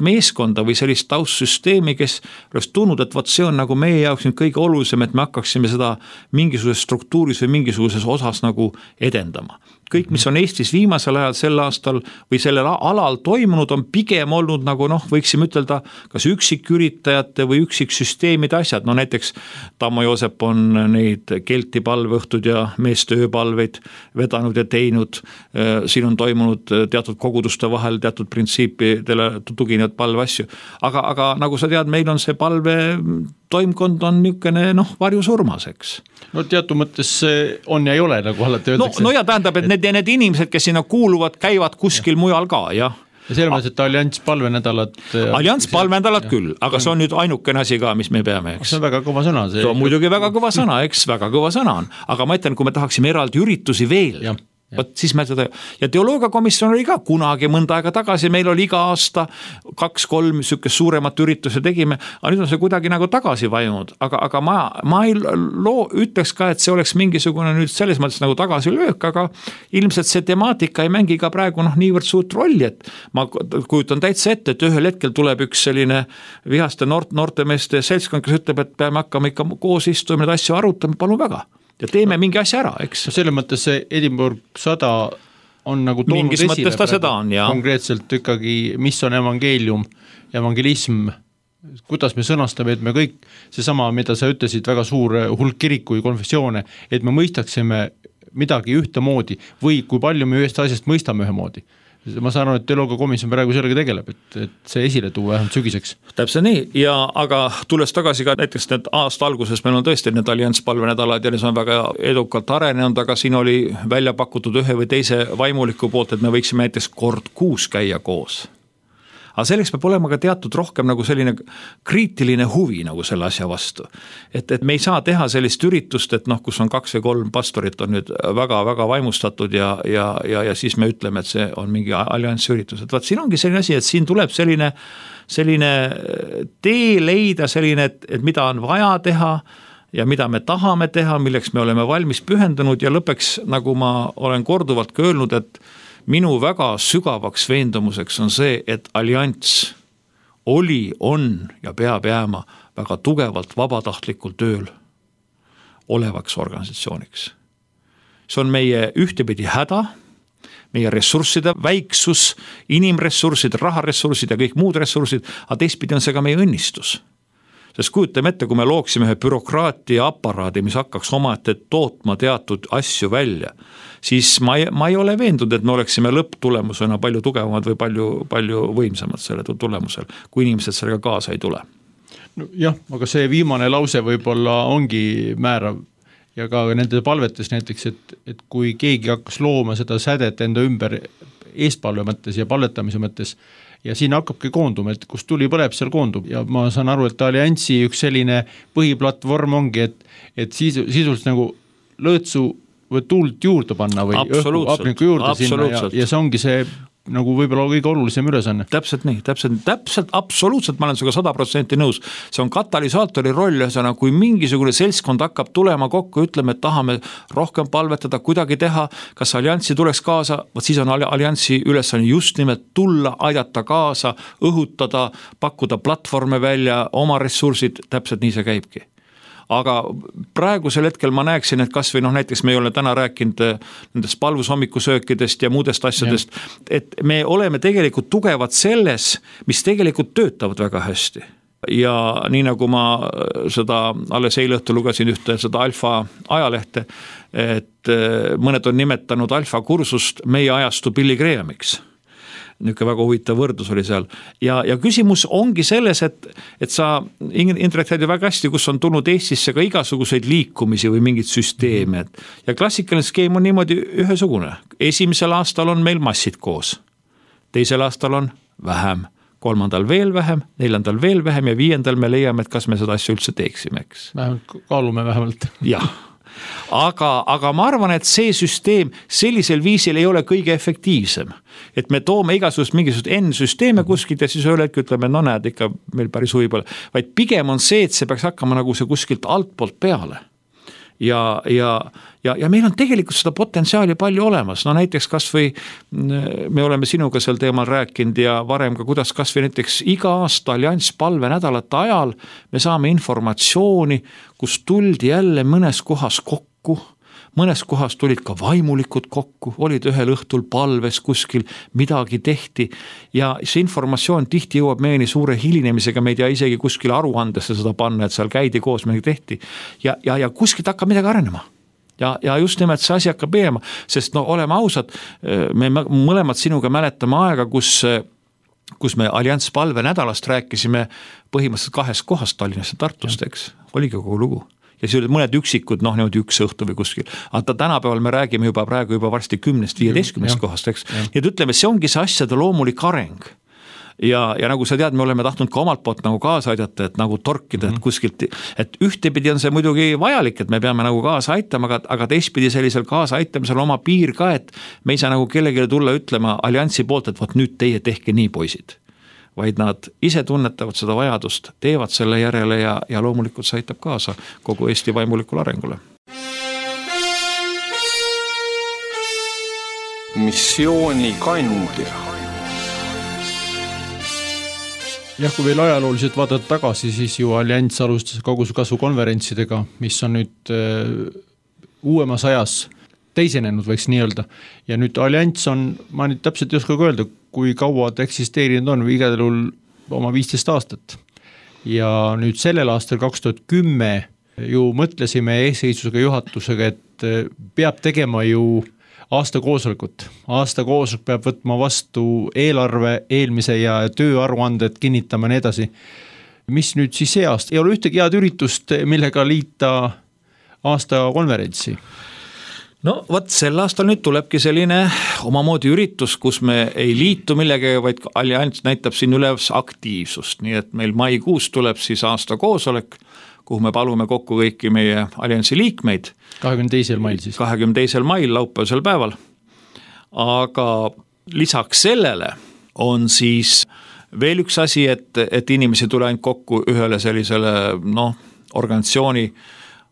meeskonda või sellist taustsüsteemi, kes oleks tundnud, et see on nagu meie jaoks nüüd kõige olulisem, et me hakkaksime seda mingisuguses struktuuris või mingisuguses osas nagu edendama. Kõik, mis on Eestis viimasel ajal sel aastal või sellel alal toimunud, on pigem olnud nagu võiksime ütelda, kas üksiküritajate või üksiksüsteemide asjad, no näiteks Tammo Joosep on neid Kelti palveõhtud ja meeste ööpalveid vedanud ja teinud, siin on toimunud teatud koguduste vahel teatud printsiipidele tuginevad palveasju, aga nagu sa tead, meil on see palve toimkond on niisugune varjusurmas, eks. No teatud mõttes on ja ei ole, nagu alati öeldakse. No ja tähendab, et need inimesed, kes sinna kuuluvad, käivad kuskil mujal ka, jah. Ja selle mõttes, et Allianss palvenädalad... Allianss palvenädalad küll, aga see on nüüd ainukene asi ka, mis me peame, eks. See on väga kõva sõna. See on muidugi väga kõva sõna, eks, väga kõva sõna on. Aga ma ütlen, kui me tahaksime eraldi üritusi veel... Võt, siis me seda, ja teoloogiakomisjon oli ka kunagi mõnda aega tagasi, meil oli iga aasta 2-3 sükest suuremat ürituse tegime, aga nüüd on see kuidagi nagu tagasi vajunud, aga ma ei ütleks ka, et see oleks mingisugune nüüd selles mõttes nagu tagasi löök, aga ilmselt see temaatika ei mängi ka praegu niivõrd suurt rolli, et ma kujutan täitsa ette, et ühel hetkel tuleb üks selline vihaste noortemeeste seltskond, kes ütleb, et peame hakkama ikka koos istuma, need asju arutama, palun väga. Ja teeme mingi asja ära, eks. Selles mõttes see Edinburgh 100 on nagu toonud mingis mõttes ta seda on, jah. Konkreetselt ikkagi, mis on evangeelium, evangelism, kuidas me sõnastame, et me kõik, seesama, mida sa ütlesid, väga suur hulk kiriku ja konfessioone, et me mõistaksime midagi ühtemoodi või kui palju me ühest asjast mõistame ühemoodi. Ma saan aru, et teoloogiakomisjon praegu sellega tegeleb, et see esile tuua vähemalt sügiseks. Täpselt nii, aga tulles tagasi ka näiteks need aasta alguses, meil on tõesti need Allianss palvenädalad ja need on väga edukalt arenenud, aga siin oli välja pakutud ühe või teise vaimuliku poolt, et me võiksime näiteks kord 6 käia koos. Aga selleks peab olema ka teatud rohkem nagu selline kriitiline huvi nagu selle asja vastu. Et me ei saa teha sellist üritust, et kus on 2 või 3 pastorit on nüüd väga-väga vaimustatud ja siis me ütleme, et see on mingi alliansi üritus. Et siin ongi selline asi, et siin tuleb selline tee leida, selline, et mida on vaja teha ja mida me tahame teha, milleks me oleme valmis pühendunud ja lõpeks, nagu ma olen korduvalt ka öelnud, et minu väga sügavaks veendumuseks on see, et Allianss oli, on ja peab jääma väga tugevalt vabatahtlikul tööl olevaks organisatsiooniks. See on meie ühtepidi häda, meie ressursside väiksus, inimressursid, raharessursid ja kõik muud ressursid, aga teistpidi on see ka meie õnnistus. Sest kujutame ette, kui me looksime ühe bürokraatia aparaadi, mis hakkaks omaette tootma teatud asju välja, siis ma ei ole veendunud, et me oleksime lõpptulemusena palju tugevamad või palju võimsamad selle tulemusel, kui inimesed sellega kaasa ei tule. No, jah, aga see viimane lause võib-olla ongi määrav ja ka nende palvetes näiteks, et kui keegi hakkas looma seda sädet enda ümber eestpalve mõttes ja palvetamise mõttes, ja siin hakkabki koonduma, et kus tuli põleb, seal koondub ja ma saan aru, et Allianssi üks selline põhiplatvorm ongi, et sisuliselt nagu lõõtsu või tuult juurde panna või hapniku juurde sinna ja see ongi see nagu võib-olla kõige olulisem ülesanne. Täpselt nii, täpselt, absoluutselt ma olen sinuga 100% nõus. See on katalüsaatori roll, kui mingisugune seltskond hakkab tulema kokku, ütleme, et tahame rohkem palvetada, kuidagi teha, kas Allianssi tuleks kaasa, siis on Allianssi ülesanne just nimelt tulla, aidata kaasa, õhutada, pakkuda platvorme välja, oma ressursid, täpselt nii see käibki. Aga praegusel hetkel ma näeksin, et kas või näiteks me ei ole täna rääkinud nendest palvusommikusöökidest ja muudest asjadest, et me oleme tegelikult tugevad selles, mis tegelikult töötavad väga hästi. Ja nii nagu ma seda alles eile õhtul lugesin ühte seda Alfa ajalehte, et mõned on nimetanud Alfa kursust meie ajastu Billy Grahamiks. Niisugune väga huvitav võrdlus oli seal. Ja küsimus ongi selles, et sa, Indrek, tead ju väga hästi, kus on tulnud Eestisse ka igasuguseid liikumisi või mingid süsteeme. Ja klassikaline skeem on niimoodi ühesugune. Esimesel aastal on meil massid koos. Teisel aastal on vähem. 3. veel vähem, 4. veel vähem ja 5. me leiame, et kas me seda asja üldse teeksime, eks. Vähemalt kaalume vähemalt. Jah. Aga ma arvan, et see süsteem sellisel viisil ei ole kõige efektiivsem. Et me toome igasugust mingisugust N-süsteeme kuskilt ja siis ühel hetkel ütleme, no näed, ikka meil päris huvi pole. Vaid pigem on see, et see peaks hakkama nagu see kuskilt altpoolt peale. ja meil on tegelikult seda potentsiaali palju olemas, no näiteks kas või me oleme sinuga sel teemal rääkinud ja varem ka, kuidas kas või näiteks iga aasta Allianss palvenädalate ajal me saame informatsiooni, kus tuldi jälle mõnes kohas kokku, mõnes kohas tulid ka vaimulikud kokku, olid ühel õhtul palves kuskil, midagi tehti ja see informatsioon tihti jõuab meieni suure hilinemisega, me ei tea isegi kuskil aruandesse seda panna, et seal käidi koos, midagi tehti ja kuskilt hakkab midagi arenema. Ja just nimelt see asi hakkab minema, sest no oleme ausad, me mõlemad sinuga mäletame aega, kus me Allianss palvenädalast rääkisime põhimõtteliselt 2 kohast Tallinnast ja Tartust, eks, oligi kogu lugu. Ja siis olid mõned üksikud, noh niimoodi üks õhtu või kuskil. Aga tänapäeval me räägime praegu juba varsti 10-15 kohast, eks. Ja ütleme, see ongi see asjade loomulik areng. Ja nagu sa tead, me oleme tahtnud ka omalt poolt nagu kaasa aidata, et nagu torkida, et kuskilt, et ühtepidi on see muidugi vajalik, et me peame nagu kaasa aitama, aga teistpidi sellisel kaasa aitamisel oma piir ka, et me ei saa nagu kellelegi tulla ütlema Allianssi poolt, et võt nüüd teie tehke nii, poisid. Vaid nad ise tunnetavad seda vajadust, teevad selle järele ja loomulikult see aitab kaasa kogu Eesti vaimulikule arengule. Missioonikandja. Jah, kui veel ajalooliselt vaadata tagasi, siis ju Allianss alustas koguskasvu konverentsidega, mis on nüüd uuemas ajas teisenenud, võiks nii öelda. Ja nüüd Allianss on, ma nüüd täpselt ei oska öelda, kui kaua ta eksisteerinud on, või igal juhul oma 15 aastat. Ja nüüd sellel aastal 2010 ju mõtlesime eesseisvusega juhatusega, et peab tegema ju aastakoosolekut. Aastakoosolek peab võtma vastu eelarve, eelmise ja tööaruanded, kinnitama nii edasi. Mis nüüd siis see aasta? Ei ole ühtegi head üritust, millega liita aasta konverentsi. No võt, sel aastal nüüd tulebki selline omamoodi üritus, kus me ei liitu millegagi, vaid Allianss näitab siin üles aktiivsust. Nii et meil maikuus tuleb siis aasta koosolek, kuhu me palume kokku kõiki meie Allianssi liikmeid. 22. mail siis. 22. mail laupäevasel päeval. Aga lisaks sellele on siis veel üks asi, et inimesi tule ainult kokku ühele sellisele organisatsiooni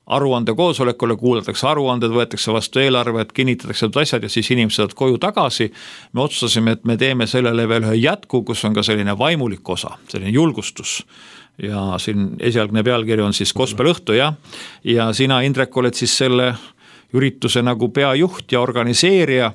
aruande koosolekule, kuulatakse aruanded, võetakse vastu eelarved, kinnitatakse asjad ja siis inimesed saavad koju tagasi. Me otsustasime, et me teeme sellele veel ühe jätku, kus on ka selline vaimulik osa, selline julgustus. Ja siin esialgne pealkiri on siis Gospelõhtu ja sina, Indrek, oled siis selle ürituse nagu peajuht ja organiseerija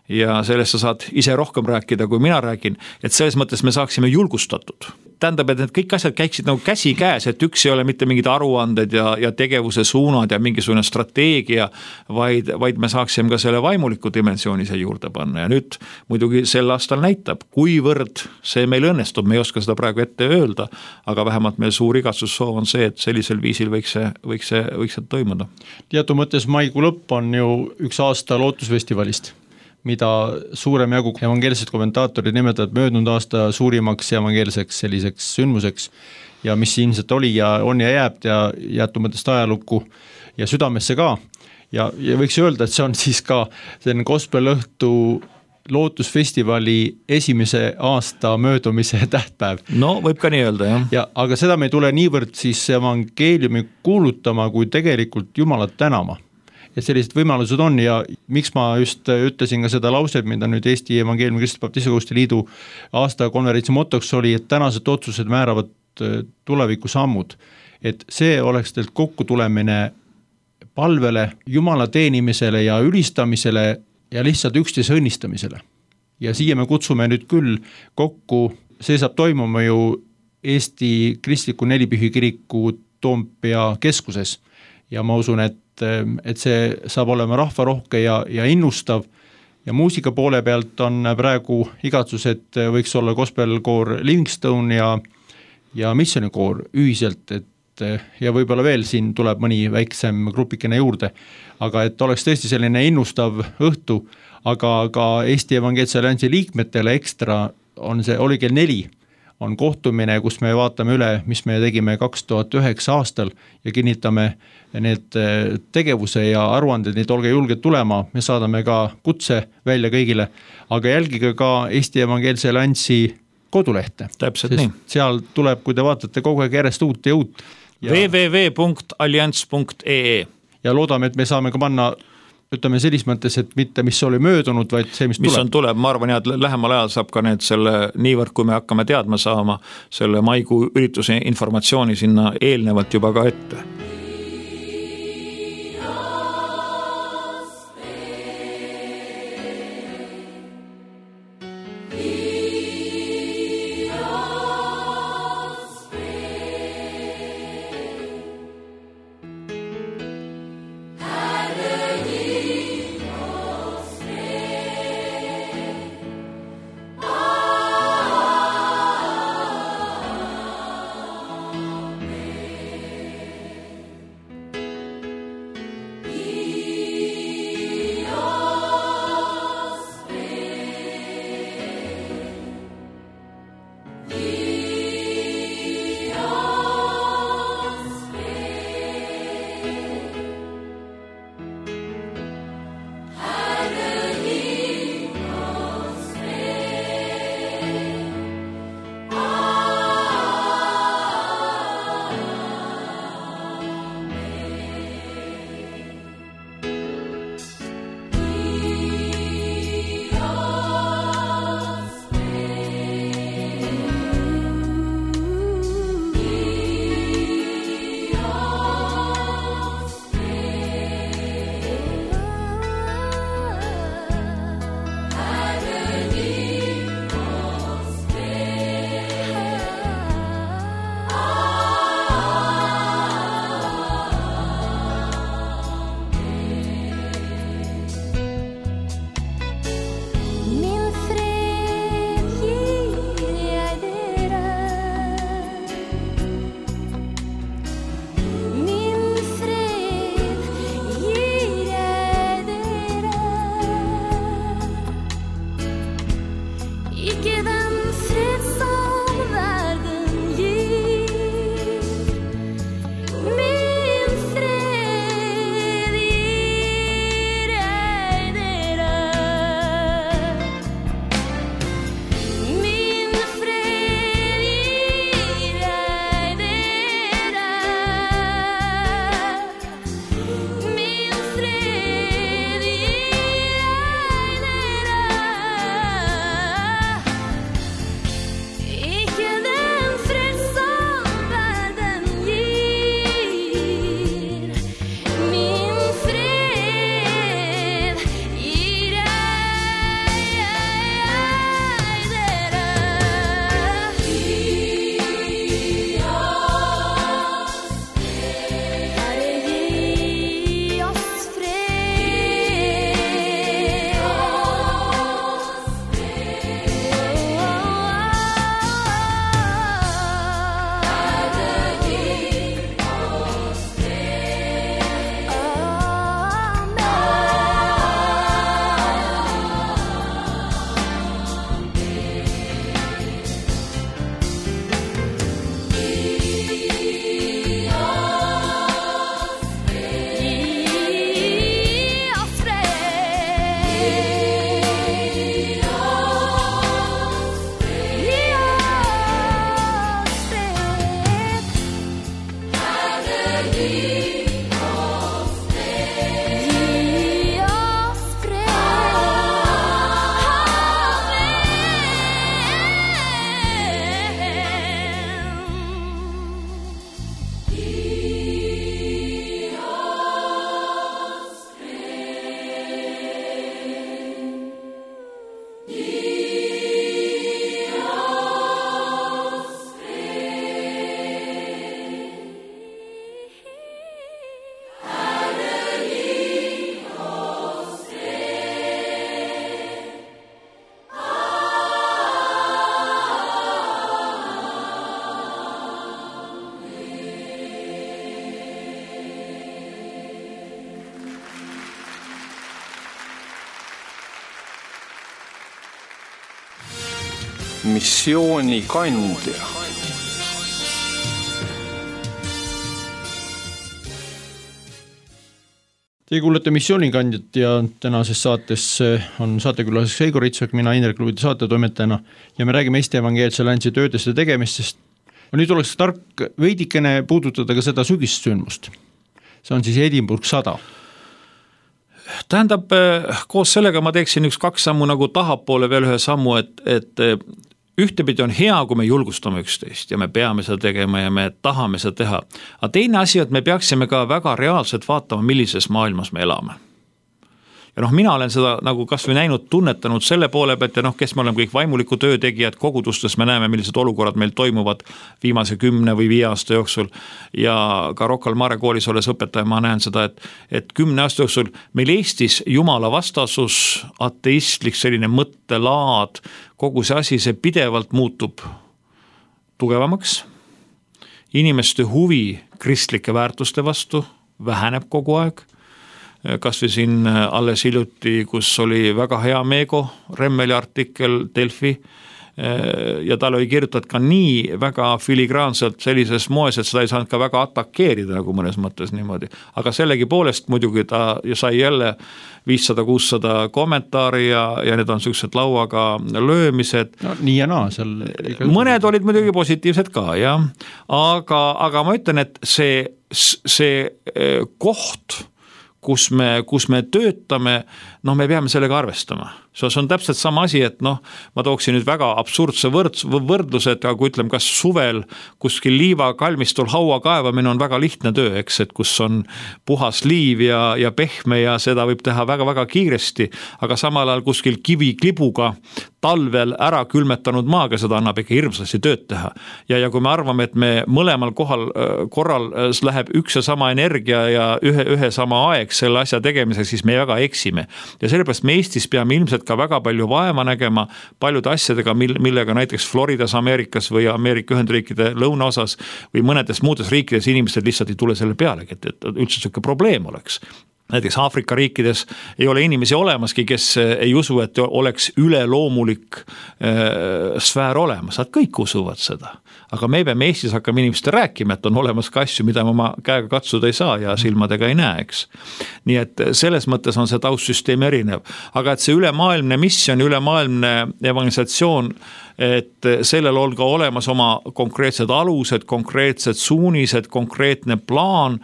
ja sellest sa saad ise rohkem rääkida, kui mina räägin, et selles mõttes me saaksime julgustatud. Tähendab, et need kõik asjad käiksid nagu käsi käes, et üks ei ole mitte mingid aruanded ja tegevuse suunad ja mingisugune strateegia, vaid me saaksime ka selle vaimuliku dimensiooni see juurde panna. Ja nüüd muidugi sel aastal näitab, kuivõrd see meil õnnestub, me ei oska seda praegu ette öelda, aga vähemalt meil suur igatsussoov on see, et sellisel viisil võiks see toimuda. Teatud mõttes maikuu lõpp on ju üks aasta lootusfestivalist, mida suurem jagu evangeelsed kommentaatorid nimetavad möödunud aasta suurimaks evangeelseks selliseks sündmuseks ja mis ilmselt oli ja on ja jääb ja jäetud mõttest ajalukku ja südamesse ka. Ja võiks öelda, et see on siis ka selline Gospelõhtu lootusfestivali esimese aasta möödumise tähtpäev. No võib ka nii öelda, jah. Ja, aga seda me ei tule niivõrd siis evangeeliumi kuulutama, kui tegelikult Jumalat tänama. Et sellised võimalused on ja miks ma just ütlesin ka seda lauset, mida nüüd Eesti Evangeeliumi Kristlaste Baptiste Koguduste Liidu aastakonverentsi motoks oli, et tänased otsused määravad tuleviku sammud. Et see oleks teilt kokku tulemine palvele, Jumala teenimisele ja ülistamisele ja lihtsalt üksteise õnnistamisele. Ja siia me kutsume nüüd küll kokku, see saab toimuma ju Eesti Kristliku Nelipühi kiriku Toompea keskuses ja ma usun, et see saab olema rahvarohke ja innustav ja muusika poole pealt on praegu igatsus, et võiks olla gospelkoor Livingstone ja missionikoor ühiselt, ja võib-olla veel siin tuleb mõni väiksem grupikene juurde, aga et oleks tõesti selline innustav õhtu, aga ka Eesti Evangeelse Alliansi liikmetele ekstra on see, oli kell 4 on kohtumine, kus me vaatame üle, mis me tegime 2009 aastal ja kinnitame need tegevuse ja aruanded, need olge julged tulema, me saadame ka kutse välja kõigile, aga jälgige ka Eesti Evangeelse Alliansi kodulehte. Täpselt nii. Seal tuleb, kui te vaatate kogu aeg järjest uut ja uut. www.allianss.ee ja loodame, et me saame ka panna ütleme selles mõttes, et mitte mis oli möödunud, vaid see, mis tuleb. Tuleb, ma arvan, et lähemal ajal saab ka need selle niivõrd, kui me hakkame teadma saama selle maikuu ürituse informatsiooni sinna eelnevalt juba ka ette. missioonikandja. Te kuulete missioonikandjat ja tänases saates on saatekülaseks Eigo Ritsak, mina Indrek Luvide saatetoimetajana ja me räägime Eesti Evangeelse Alliansi töödest ja tegemistest. Nüüd oleks tark veidikene puudutada ka seda sügissündmust. see on siis Edinburgh 100. Tähendab, koos sellega ma teeksin 2 sammu nagu tahapoole veel ühe sammu, et ühtepidi on hea, kui me julgustame üksteist ja me peame seda tegema ja me tahame seda teha. Aga teine asi, et me peaksime ka väga reaalselt vaatama, millises maailmas me elame. Ja mina olen seda nagu kas või näinud, tunnetanud selle poole pealt ja kes me oleme kõik vaimuliku töötegijad, kogudustes me näeme, millised olukorrad meil toimuvad viimase 10 või 5 aasta jooksul ja ka Rocca al Mare koolis olles õpetaja, ma näen seda, et 10 aasta jooksul meil Eestis jumala vastasus, ateistlik selline mõttelaad, kogu see asi, see pidevalt muutub tugevamaks, inimeste huvi kristlike väärtuste vastu väheneb kogu aeg, kas või siin alles hiljuti, kus oli väga hea Meego Remmeli artikkel Delfi ja tal oli kirjutatud ka nii väga filigraanselt sellises moes, et seda ei saanud ka väga atakeerida nagu mõnes mõttes niimoodi. Aga sellegi poolest muidugi ta sai jälle 500-600 kommentaari ja need on sellised lauaga löömised. No, nii ja naa seal. Mõned olid muidugi positiivsed ka, jah. Aga ma ütlen, et see koht, kus me töötame, me peame sellega arvestama. See on täpselt sama asi, et ma tooksin nüüd väga absurdse võrdluse, et kui ütleme, kas suvel kuskil liivakalmistul haua kaevamine on väga lihtne töö, eks, et kus on puhas liiv ja pehme ja seda võib teha väga-väga kiiresti, aga samal ajal kuskil kiviklibuga talvel ära külmetanud maaga seda annab ikka hirmsasti tööd teha. Ja kui me arvame, et me mõlemal korral läheb üks ja sama energia ja ühe sama aeg selle asja tegemiseks, siis me väga eksime. Ja sellepärast me Eestis peame ilmselt ka väga palju vaeva nägema paljude asjadega, millega näiteks Floridas, Ameerikas või Ameerika Ühendriikide lõunaosas või mõnedes muudes riikides inimesed lihtsalt ei tule selle pealegi, et üldse selline probleem oleks. Näiteks Aafrika riikides ei ole inimesi olemaski, kes ei usu, et oleks üleloomulik sfäär olemas. Nad kõik usuvad seda. Aga me peame Eestis hakkame inimeste rääkima, et on olemas ka asju, mida ma käega katsuda ei saa ja silmadega ei näe, eks. Nii et selles mõttes on see taustsüsteem erinev. Aga et see ülemaailmne missioon, ülemaailmne evangelisatsioon, et sellel on ka olemas oma konkreetsed alused, konkreetsed suunised, konkreetne plaan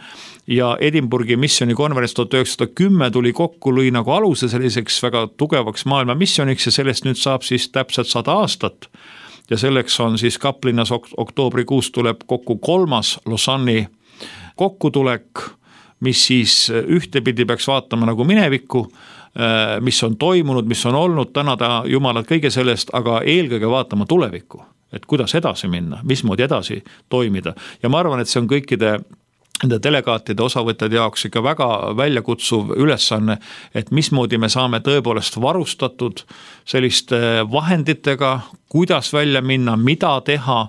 ja Edinburghi missionikonverents 1910 tuli kokku, lõi nagu aluse selliseks väga tugevaks maailma missioniks ja sellest nüüd saab siis täpselt 100 aastat. Ja selleks on siis Kaplinnas oktoobrikuus tuleb kokku 3. Lausanne'i kokkutulek, mis siis ühtepidi peaks vaatama nagu minevikku, mis on toimunud, mis on olnud, tänada Jumalat kõige sellest, aga eelkõige vaatama tulevikku, et kuidas edasi minna, mismoodi edasi toimida. Ja ma arvan, et see on kõikide nende delegaatide osavõtjad jaoks ikka väga väljakutsuv ülesanne, et mismoodi me saame tõepoolest varustatud selliste vahenditega, kuidas välja minna, mida teha,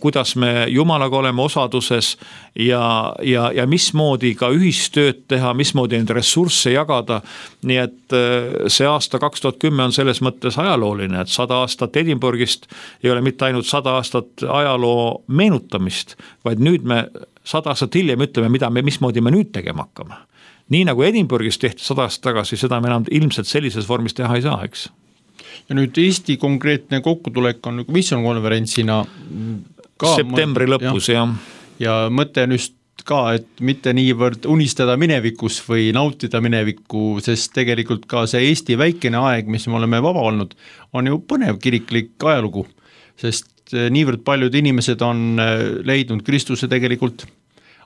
kuidas me Jumalaga oleme osaduses ja mismoodi ka ühistööd teha, mismoodi neid ressursse jagada. Nii et see aasta 2010 on selles mõttes ajalooline, et 100 aastat Edinburghist ei ole mitte ainult 100 aastat ajaloo meenutamist, vaid nüüd me 100 aastat hiljem ütleme, mismoodi me nüüd tegema hakkame. Nii nagu Edinburghis tehti 100 aastat tagasi, seda me enam ilmselt sellises vormis teha ei saa, eks. Ja nüüd Eesti konkreetne kokkutulek on missionkonverentsina ka septembri lõpus, jah. Ja mõte on just ka, et mitte niivõrd unistada minevikus või nautida minevikku, sest tegelikult ka see Eesti väikene aeg, mis me oleme vaba olnud, on ju põnev kiriklik ajalugu, sest niivõrd paljud inimesed on leidnud Kristuse tegelikult,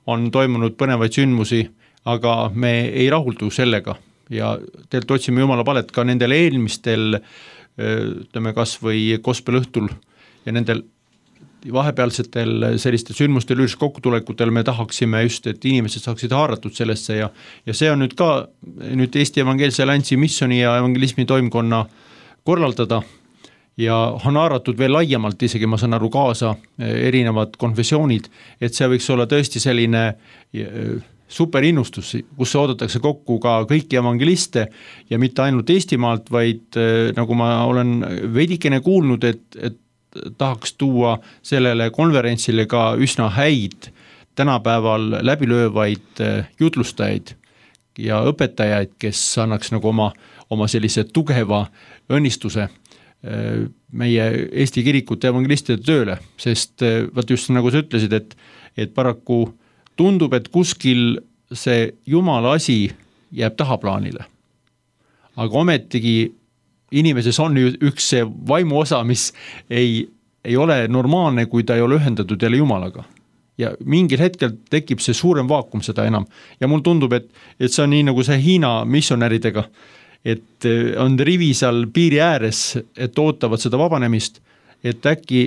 on toimunud põnevaid sündmusi, aga me ei rahuldu sellega ja teilt otsime Jumala palet ka nendel eelmistel, ütleme kas või gospelõhtul ja nendel vahepealsetel sellistel sündmustel kokku-tulekutel me tahaksime just, et inimesed saaksid haaratud sellesse ja see on nüüd ka Eesti Evangeelse Alliansi missioni ja evangelismi toimkonna korraldada ja on haaratud veel laiemalt, isegi ma saan aru kaasa erinevad konfessioonid, et see võiks olla tõesti selline superinnustus, kus oodatakse kokku ka kõiki evangeliste ja mitte ainult Eestimaalt, vaid nagu ma olen veidikene kuulnud, et tahaks tuua sellele konverentsile ka üsna häid tänapäeval läbilöövaid jutlustajaid ja õpetajaid, kes annaks nagu oma sellise tugeva õnnistuse meie Eesti kirikute evangelistide tööle, sest vaat just nagu sa ütlesid, et paraku tundub, et kuskil see Jumala asi jääb tahaplaanile. Aga ometigi inimeses on üks see vaimu osa, mis ei ole normaalne, kui ta ei ole ühendatud jälle Jumalaga. Ja mingil hetkel tekib see suurem vaakum seda enam. Ja mul tundub, et see on nii nagu see Hiina missionäridega, et on rivi seal piiri ääres, et ootavad seda vabanemist, et äkki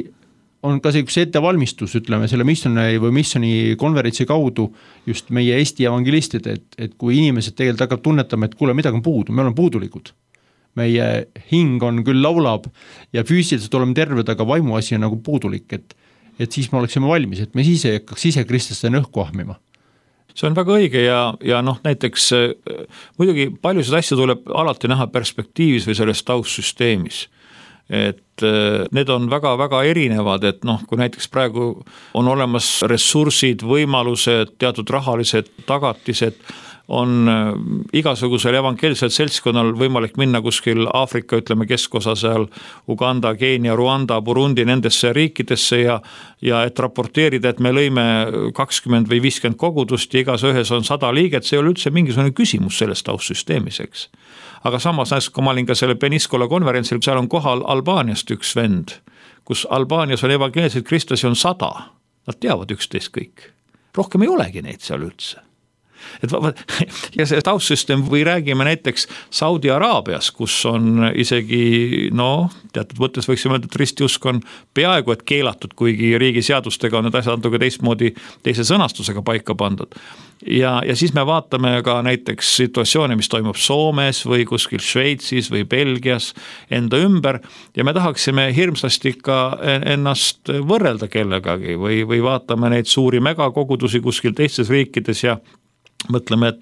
on ka see üks ettevalmistus, ütleme, selle missionäri või missioni konverentsi kaudu just meie Eesti evangelistid, et kui inimesed tegelikult hakkab tunnetama, et kuule, midagi on puudu, me oleme puudulikud. Meie hing on küll laulab ja füüsiliselt oleme terved, aga vaimu asi on nagu puudulik, et siis me oleksime valmis, et me siis ei hakkaks ise Kristlaste õhku ahmima. See on väga õige ja näiteks muidugi paljusid asju tuleb alati näha perspektiivis või selles taustsüsteemis. Et need on väga-väga erinevad, et kui näiteks praegu on olemas ressursid, võimalused, teatud rahalised tagatised, on igasugusel evangeelsel seltskonnal võimalik minna kuskil Aafrika, ütleme keskosa seal, Uganda, Keenia, Ruanda, Burundi, nendesse riikidesse ja et raporteerida, et me lõime 20 või 50 kogudust ja igas ühes on 100 liiget, see ei ole üldse mingisugune küsimus selles taustsüsteemiseks. Aga samas, kui ma olin ka selle Peniskola konverentsil, seal on kohal Albaaniast üks vend, kus Albaanias on evangeelseid kristlasi on 100, nad teavad üksteist kõik. Rohkem ei olegi neid seal üldse. Ja see taustsüsteem või räägime näiteks Saudi Araabias, kus on isegi, teatud mõttes võiksime öelda, et ristiusk on peaaegu et keelatud, kuigi riigi seadustega on need asjad natuke teistmoodi, teise sõnastusega paika pandud. Ja siis me vaatame ka näiteks situatsioone, mis toimub Soomes või kuskil Šveitsis või Belgias enda ümber ja me tahaksime hirmsasti ka ennast võrrelda kellegagi või vaatame neid suuri megakogudusi kuskil teistes riikides ja mõtleme,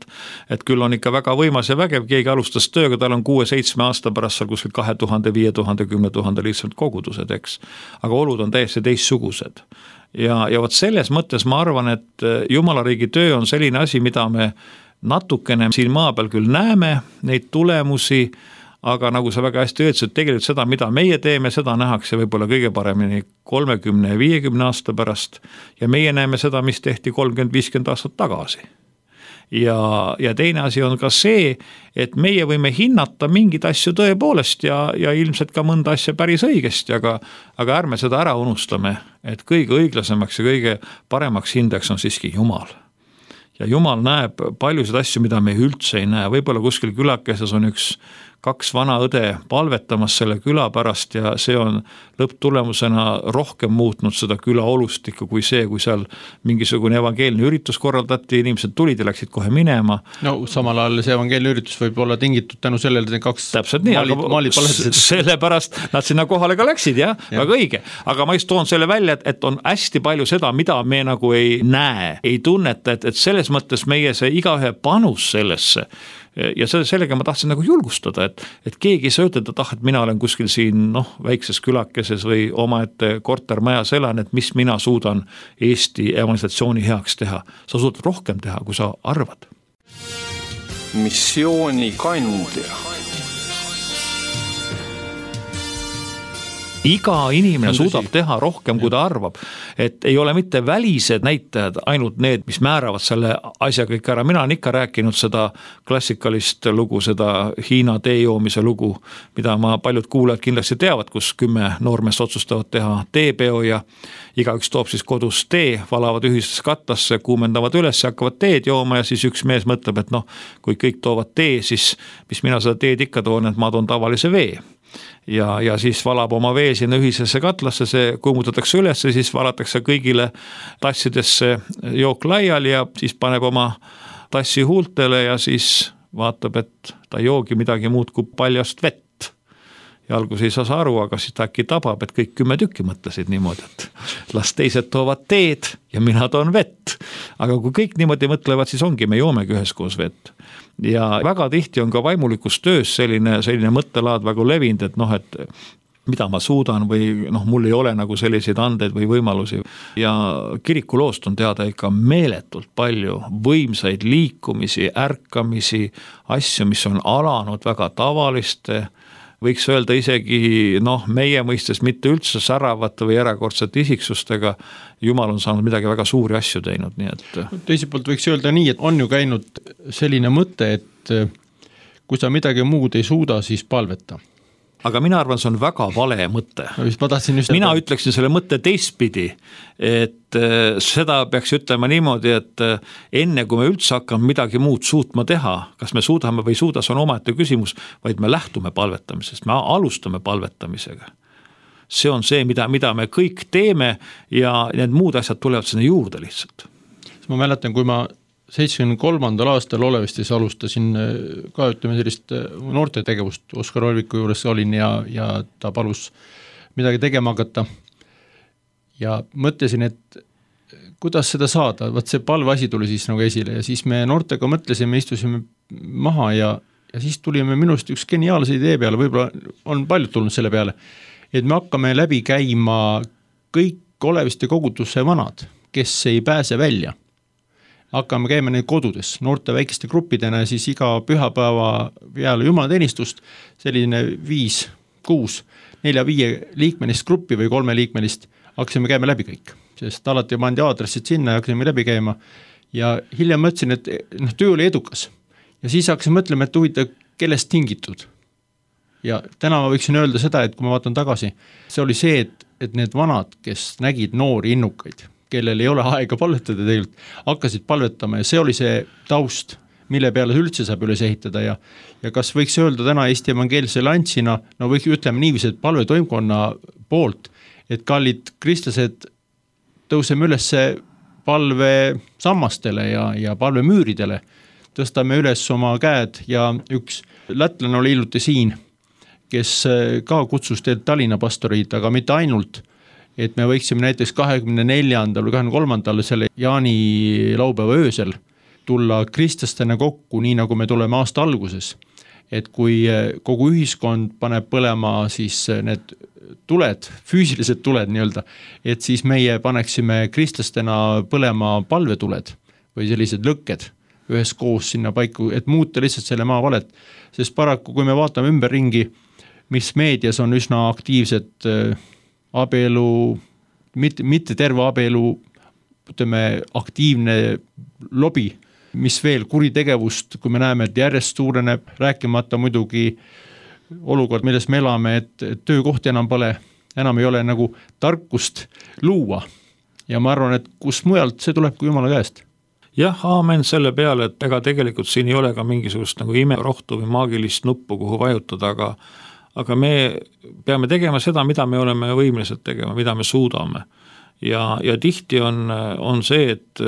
et küll on ikka väga võimas ja vägev, keegi alustas tööga, tal on 6-7 aasta pärast seal kuskil 2000, 5000, 10 000 lihtsalt kogudused, eks. Aga olud on täiesti teistsugused. Ja võt selles mõttes ma arvan, et Jumala riigi töö on selline asi, mida me natukene siin maa peal küll näeme, neid tulemusi, aga nagu sa väga hästi öeldsid, et tegelikult seda, mida meie teeme, seda nähakse võib-olla kõige paremini 30 ja 50 aasta pärast ja meie näeme seda, mis tehti 30-50 aastat tagasi. Ja teine asi on ka see, et meie võime hinnata mingid asju tõepoolest ja ilmselt ka mõnda asja päris õigesti, aga ärme seda ära unustame, et kõige õiglasemaks ja kõige paremaks hindeks on siiski Jumal. Ja Jumal näeb paljusid asju, mida me üldse ei näe, võib-olla kuskil külakeses on 2 vana õde palvetamas selle küla pärast ja see on lõpptulemusena rohkem muutnud seda küla olustikku kui see, kui seal mingisugune evangeelne üritus korraldati, inimesed tulid ja läksid kohe minema. No samal ajal see evangeelne üritus võib olla tingitud tänu sellele, et 2 täpselt nii, maalid palvetasid. Sellepärast nad sinna kohale ka läksid, jah, väga õige. Aga ma just toon selle välja, et on hästi palju seda, mida me nagu ei näe, ei tunneta, et selles mõttes meie see igaühe panus sellesse ja sellega ma tahtsin nagu julgustada, et keegi ei saa ütelda, et mina olen kuskil siin väikses külakeses või omaette kortermajas elan, et mis mina suudan Eesti evangelisatsiooni heaks teha. Sa suudad rohkem teha, kui sa arvad. Missiooni kandja. Iga inimene suudab teha rohkem, kui ta arvab, et ei ole mitte välised näitajad, ainult need, mis määravad selle asja kõik ära. Mina olen ikka rääkinud seda klassikalist lugu, seda Hiina teejoomise lugu, mida paljud kuulajad kindlasti teavad, kus 10 noormeest otsustavad teha teepeo ja igaüks toob siis kodus tee, valavad ühisesse katlasse, kuumendavad üles ja hakkavad teed jooma ja siis üks mees mõtleb, et kui kõik toovad tee, siis mis mina seda teed ikka toon, et ma toon tavalise vee. Ja siis valab oma vee sinna ühisesse katlasse, see kuumutatakse üles, siis valatakse kõigile tassidesse jook laiali ja siis paneb oma tassi huultele ja siis vaatab, et ta joogi midagi muud kui paljast vett. Ja algus ei saa aru, aga siis ta äkki tabab, et kõik 10 tükki mõtlesid niimoodi, et las teised toovad teed ja mina toon vett. Aga kui kõik niimoodi mõtlevad, siis ongi, me joomegi üheskoos vett. Ja väga tihti on ka vaimulikus töös selline mõttelaad väga levinud, et mida ma suudan või mul ei ole nagu selliseid andeid või võimalusi. Ja kirikuloost on teada ikka meeletult palju võimsaid liikumisi, ärkamisi, asju, mis on alanud väga tavaliste võiks öelda isegi meie mõistes mitte üldse säravate või erakordsete isiksustega, Jumal on saanud midagi väga suuri asju teinud, nii et teiselt poolt võiks öelda nii, et on ju käinud selline mõte, et kui sa midagi muud ei suuda, siis palveta. Aga mina arvan, see on väga vale mõte. Mina ütleksin selle mõtte teistpidi, et seda peaks ütlema niimoodi, et enne kui me üldse hakkame midagi muud suutma teha, kas me suudame või ei suuda, see on omaette küsimus, vaid me lähtume palvetamisest, me alustame palvetamisega. See on see, mida me kõik teeme ja need muud asjad tulevad sinna juurde lihtsalt. Ma mäletan, kui ma 73. aastal Olevestis alustasin ka sellist noorte tegevust, Oskar Olviku juures olin ja ta palus midagi tegema hakata ja mõtlesin, et kuidas seda saada, vaat see palveasi tuli siis nagu esile ja siis me noortega mõtlesime, istusime maha ja siis tulime minust üks geniaalse idee peale, võib-olla on paljud tulnud selle peale, et me hakkame läbi käima kõik Oleviste kogudusse vanad, kes ei pääse välja. Hakkame käima neid kodudes, noorte väikeste gruppidena ja siis iga pühapäeva peale jumalateenistust selline 5, 6, 4, 5 liikmelist gruppi või 3 liikmelist hakkasime käima läbi kõik, sest alati pandi aadressid sinna ja hakkasime läbi käima ja hiljem mõtlesin, et töö oli edukas ja siis hakkasin mõtlema, et huvitav, kellest tingitud ja täna ma võiksin öelda seda, et kui ma vaatan tagasi, see oli see, et need vanad, kes nägid noori innukaid, kellel ei ole aega palvetada tegelikult, hakkasid palvetama ja see oli see taust, mille peale üldse saab üles ehitada ja kas võiks öelda täna Eesti evangeelse lantsina, võiks ütleme niiviisi, et palvetoimkonna poolt, et kallid kristlased tõuseme üles palve sammastele ja palvemüüridele, tõstame üles oma käed ja üks lätlane oli hiljuti siin, kes ka kutsus teed Tallinna pastorid, aga mitte ainult, et me võiksime näiteks 24. või 23. selle Jaani laupäeva öösel tulla kristlastena kokku, nii nagu me tuleme aasta alguses. Et kui kogu ühiskond paneb põlema siis need tuled, füüsilised tuled nii-öelda, et siis meie paneksime kristlastena põlema palvetuled või sellised lõkked ühes koos sinna paiku, et muuta lihtsalt selle maa valet. Sest paraku, kui me vaatame ümberringi, mis meedias on üsna aktiivsed abielu, mitte terve abielu, ütleme, aktiivne lobi, mis veel kuritegevust, kui me näeme, et järjest suureneb, rääkimata muidugi olukord, milles me elame, et töökohti enam pole, enam ei ole nagu tarkust luua. Ja ma arvan, et kus mujalt see tuleb kui Jumala käest. Jah, aamen selle peale, et ega tegelikult siin ei ole ka mingisugust nagu imerohtu või maagilist nuppu, kuhu vajutada, aga me peame tegema seda, mida me oleme võimelised tegema, mida me suudame. Ja tihti on see, et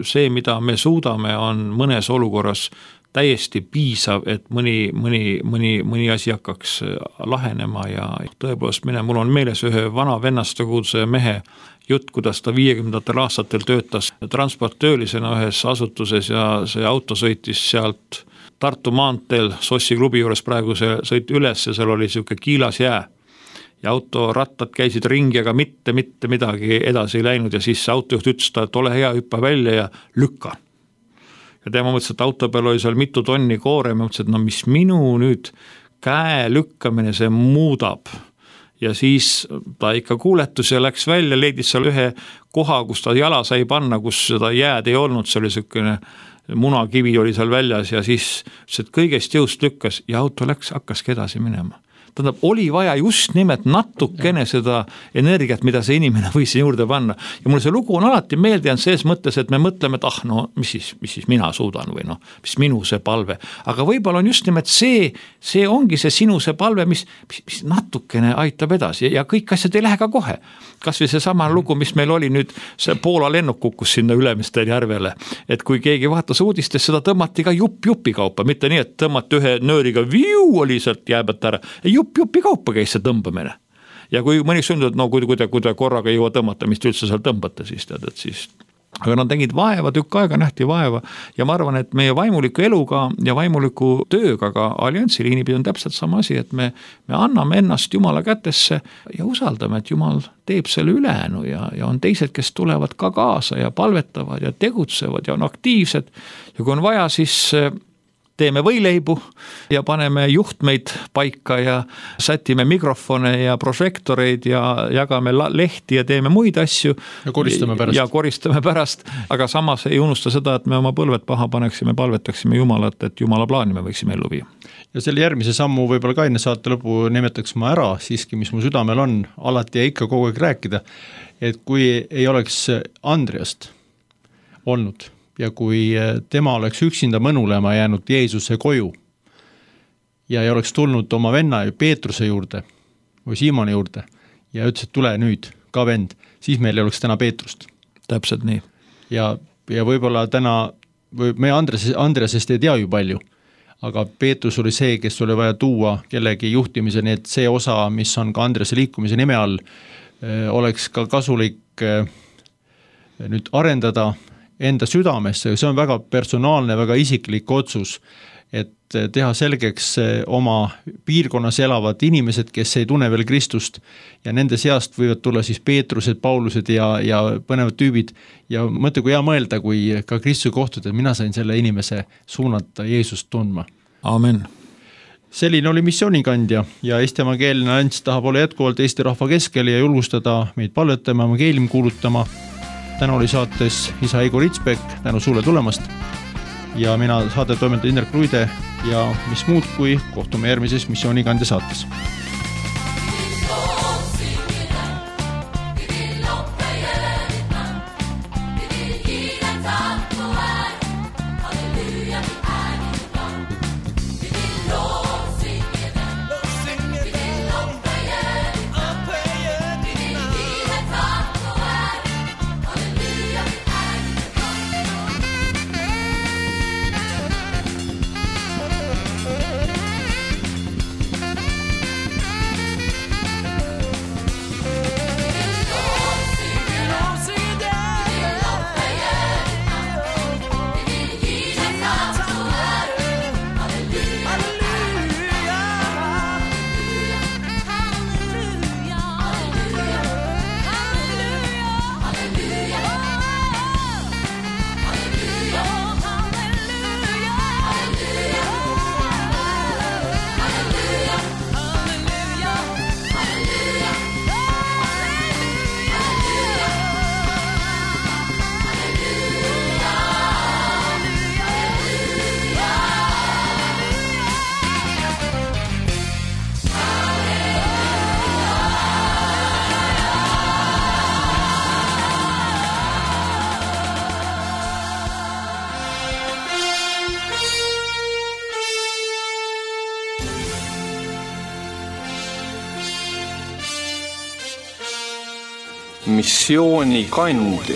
see, mida me suudame, on mõnes olukorras täiesti piisav, et mõni asi hakkaks lahenema ja tõepoolest mul on meeles ühe vana vennastekudse mehe jutt, kuidas ta 50. aastatel töötas transporttöölisena ühes asutuses ja see auto sõitis sealt Tartu maanteel Sossi klubi juures praegu see sõit üles ja seal oli siuke kiilas jää ja autorattad käisid ringi, aga mitte midagi edasi ei läinud ja siis see autojuht ütles ta, et ole hea, hüppa välja ja lükka. Ja tema mõtles, et auto peal oli seal mitu tonni koore, ma mõtlesin, et mis minu nüüd käe lükkamine see muudab. Ja siis ta ikka kuuletus ja läks välja, leidis seal ühe koha, kus ta jala sai panna, kus seda jääd ei olnud, see oli selline munakivi oli seal väljas ja siis kõigest jõust lükkas ja auto hakkaski edasi minema. Tähendab, oli vaja just nimelt natukene seda energiat, mida see inimene võis juurde panna. Ja mulle see lugu on alati meeldinud selles mõttes, et me mõtleme, et mis siis mina suudan või mis minu see palve. Aga võib-olla on just nimelt see ongi see sinu see palve, mis natukene aitab edasi ja kõik asjad ei lähe ka kohe. Kas või see sama lugu, mis meil oli nüüd, see Poola lennuk kukkus sinna Ülemistel järvele, et kui keegi vaatas uudistes, seda tõmmati ka jupi kaupa, mitte nii, et tõmmati ühe nööriga oli sealt jääbät ära, jupi kaupa käis see tõmbamine. Ja kui mõni sündud, kui ta korraga ei jõua tõmmata, mis te üldse seal tõmbate, siis tead, et siis aga nad tegid vaeva, tükk aega nähti vaeva ja ma arvan, et meie vaimuliku eluga ja vaimuliku tööga ka alliansi liinipidi on täpselt sama asi, et me anname ennast Jumala kätesse ja usaldame, et Jumal teeb selle ülejäänu ja on teised, kes tulevad ka kaasa ja palvetavad ja tegutsevad ja on aktiivsed ja kui on vaja, siis teeme võileibu ja paneme juhtmeid paika ja sätime mikrofone ja prožektoreid ja jagame lehti ja teeme muid asju. Ja koristame pärast, aga samas ei unusta seda, et me oma põlved paha paneksime, palvetaksime Jumalat, et Jumala plaani me võiksime ellu viia. Ja selle järgmise sammu võib-olla ka enne saate lõpu nimetaks ma ära siiski, mis mu südamel on, alati ja ikka kogu aeg rääkida, et kui ei oleks Andreast olnud ja kui tema oleks üksinda mõnulema jäänud Jeesuse koju ja ei oleks tulnud oma venna Peetruse juurde või Siimoni juurde ja ütles, et tule nüüd ka vend, siis meil ei oleks täna Peetrust. Täpselt nii. Ja võib-olla täna, me Andreasest ei tea ju palju, aga Peetrus oli see, kes oli vaja tuua kellegi juhtimise, nii et see osa, mis on ka Andrease liikumise nime all, oleks ka kasulik nüüd arendada enda südamesse, see on väga personaalne, väga isiklik otsus, et teha selgeks oma piirkonnas elavad inimesed, kes ei tunne veel Kristust ja nende seast võivad tulla siis Peetrused, Paulused ja põnevad tüübid ja mõtle, kui hea mõelda, kui ka Kristuse kohtud, et mina sain selle inimese suunata Jeesust tundma. Amen. Selline oli missioonikandja ja Eesti evangeelne allianss tahab olla jätkuvalt Eesti rahva keskel ja julgustada meid palvetama, evangeelium kuulutama. Täna oli saates isa Eigo Ritsbek, tänu sulle tulemast ja mina saade toimetaja Indrek Ruide ja mis muud kui kohtume järgmises missioonikandja saates. Missioonikandja.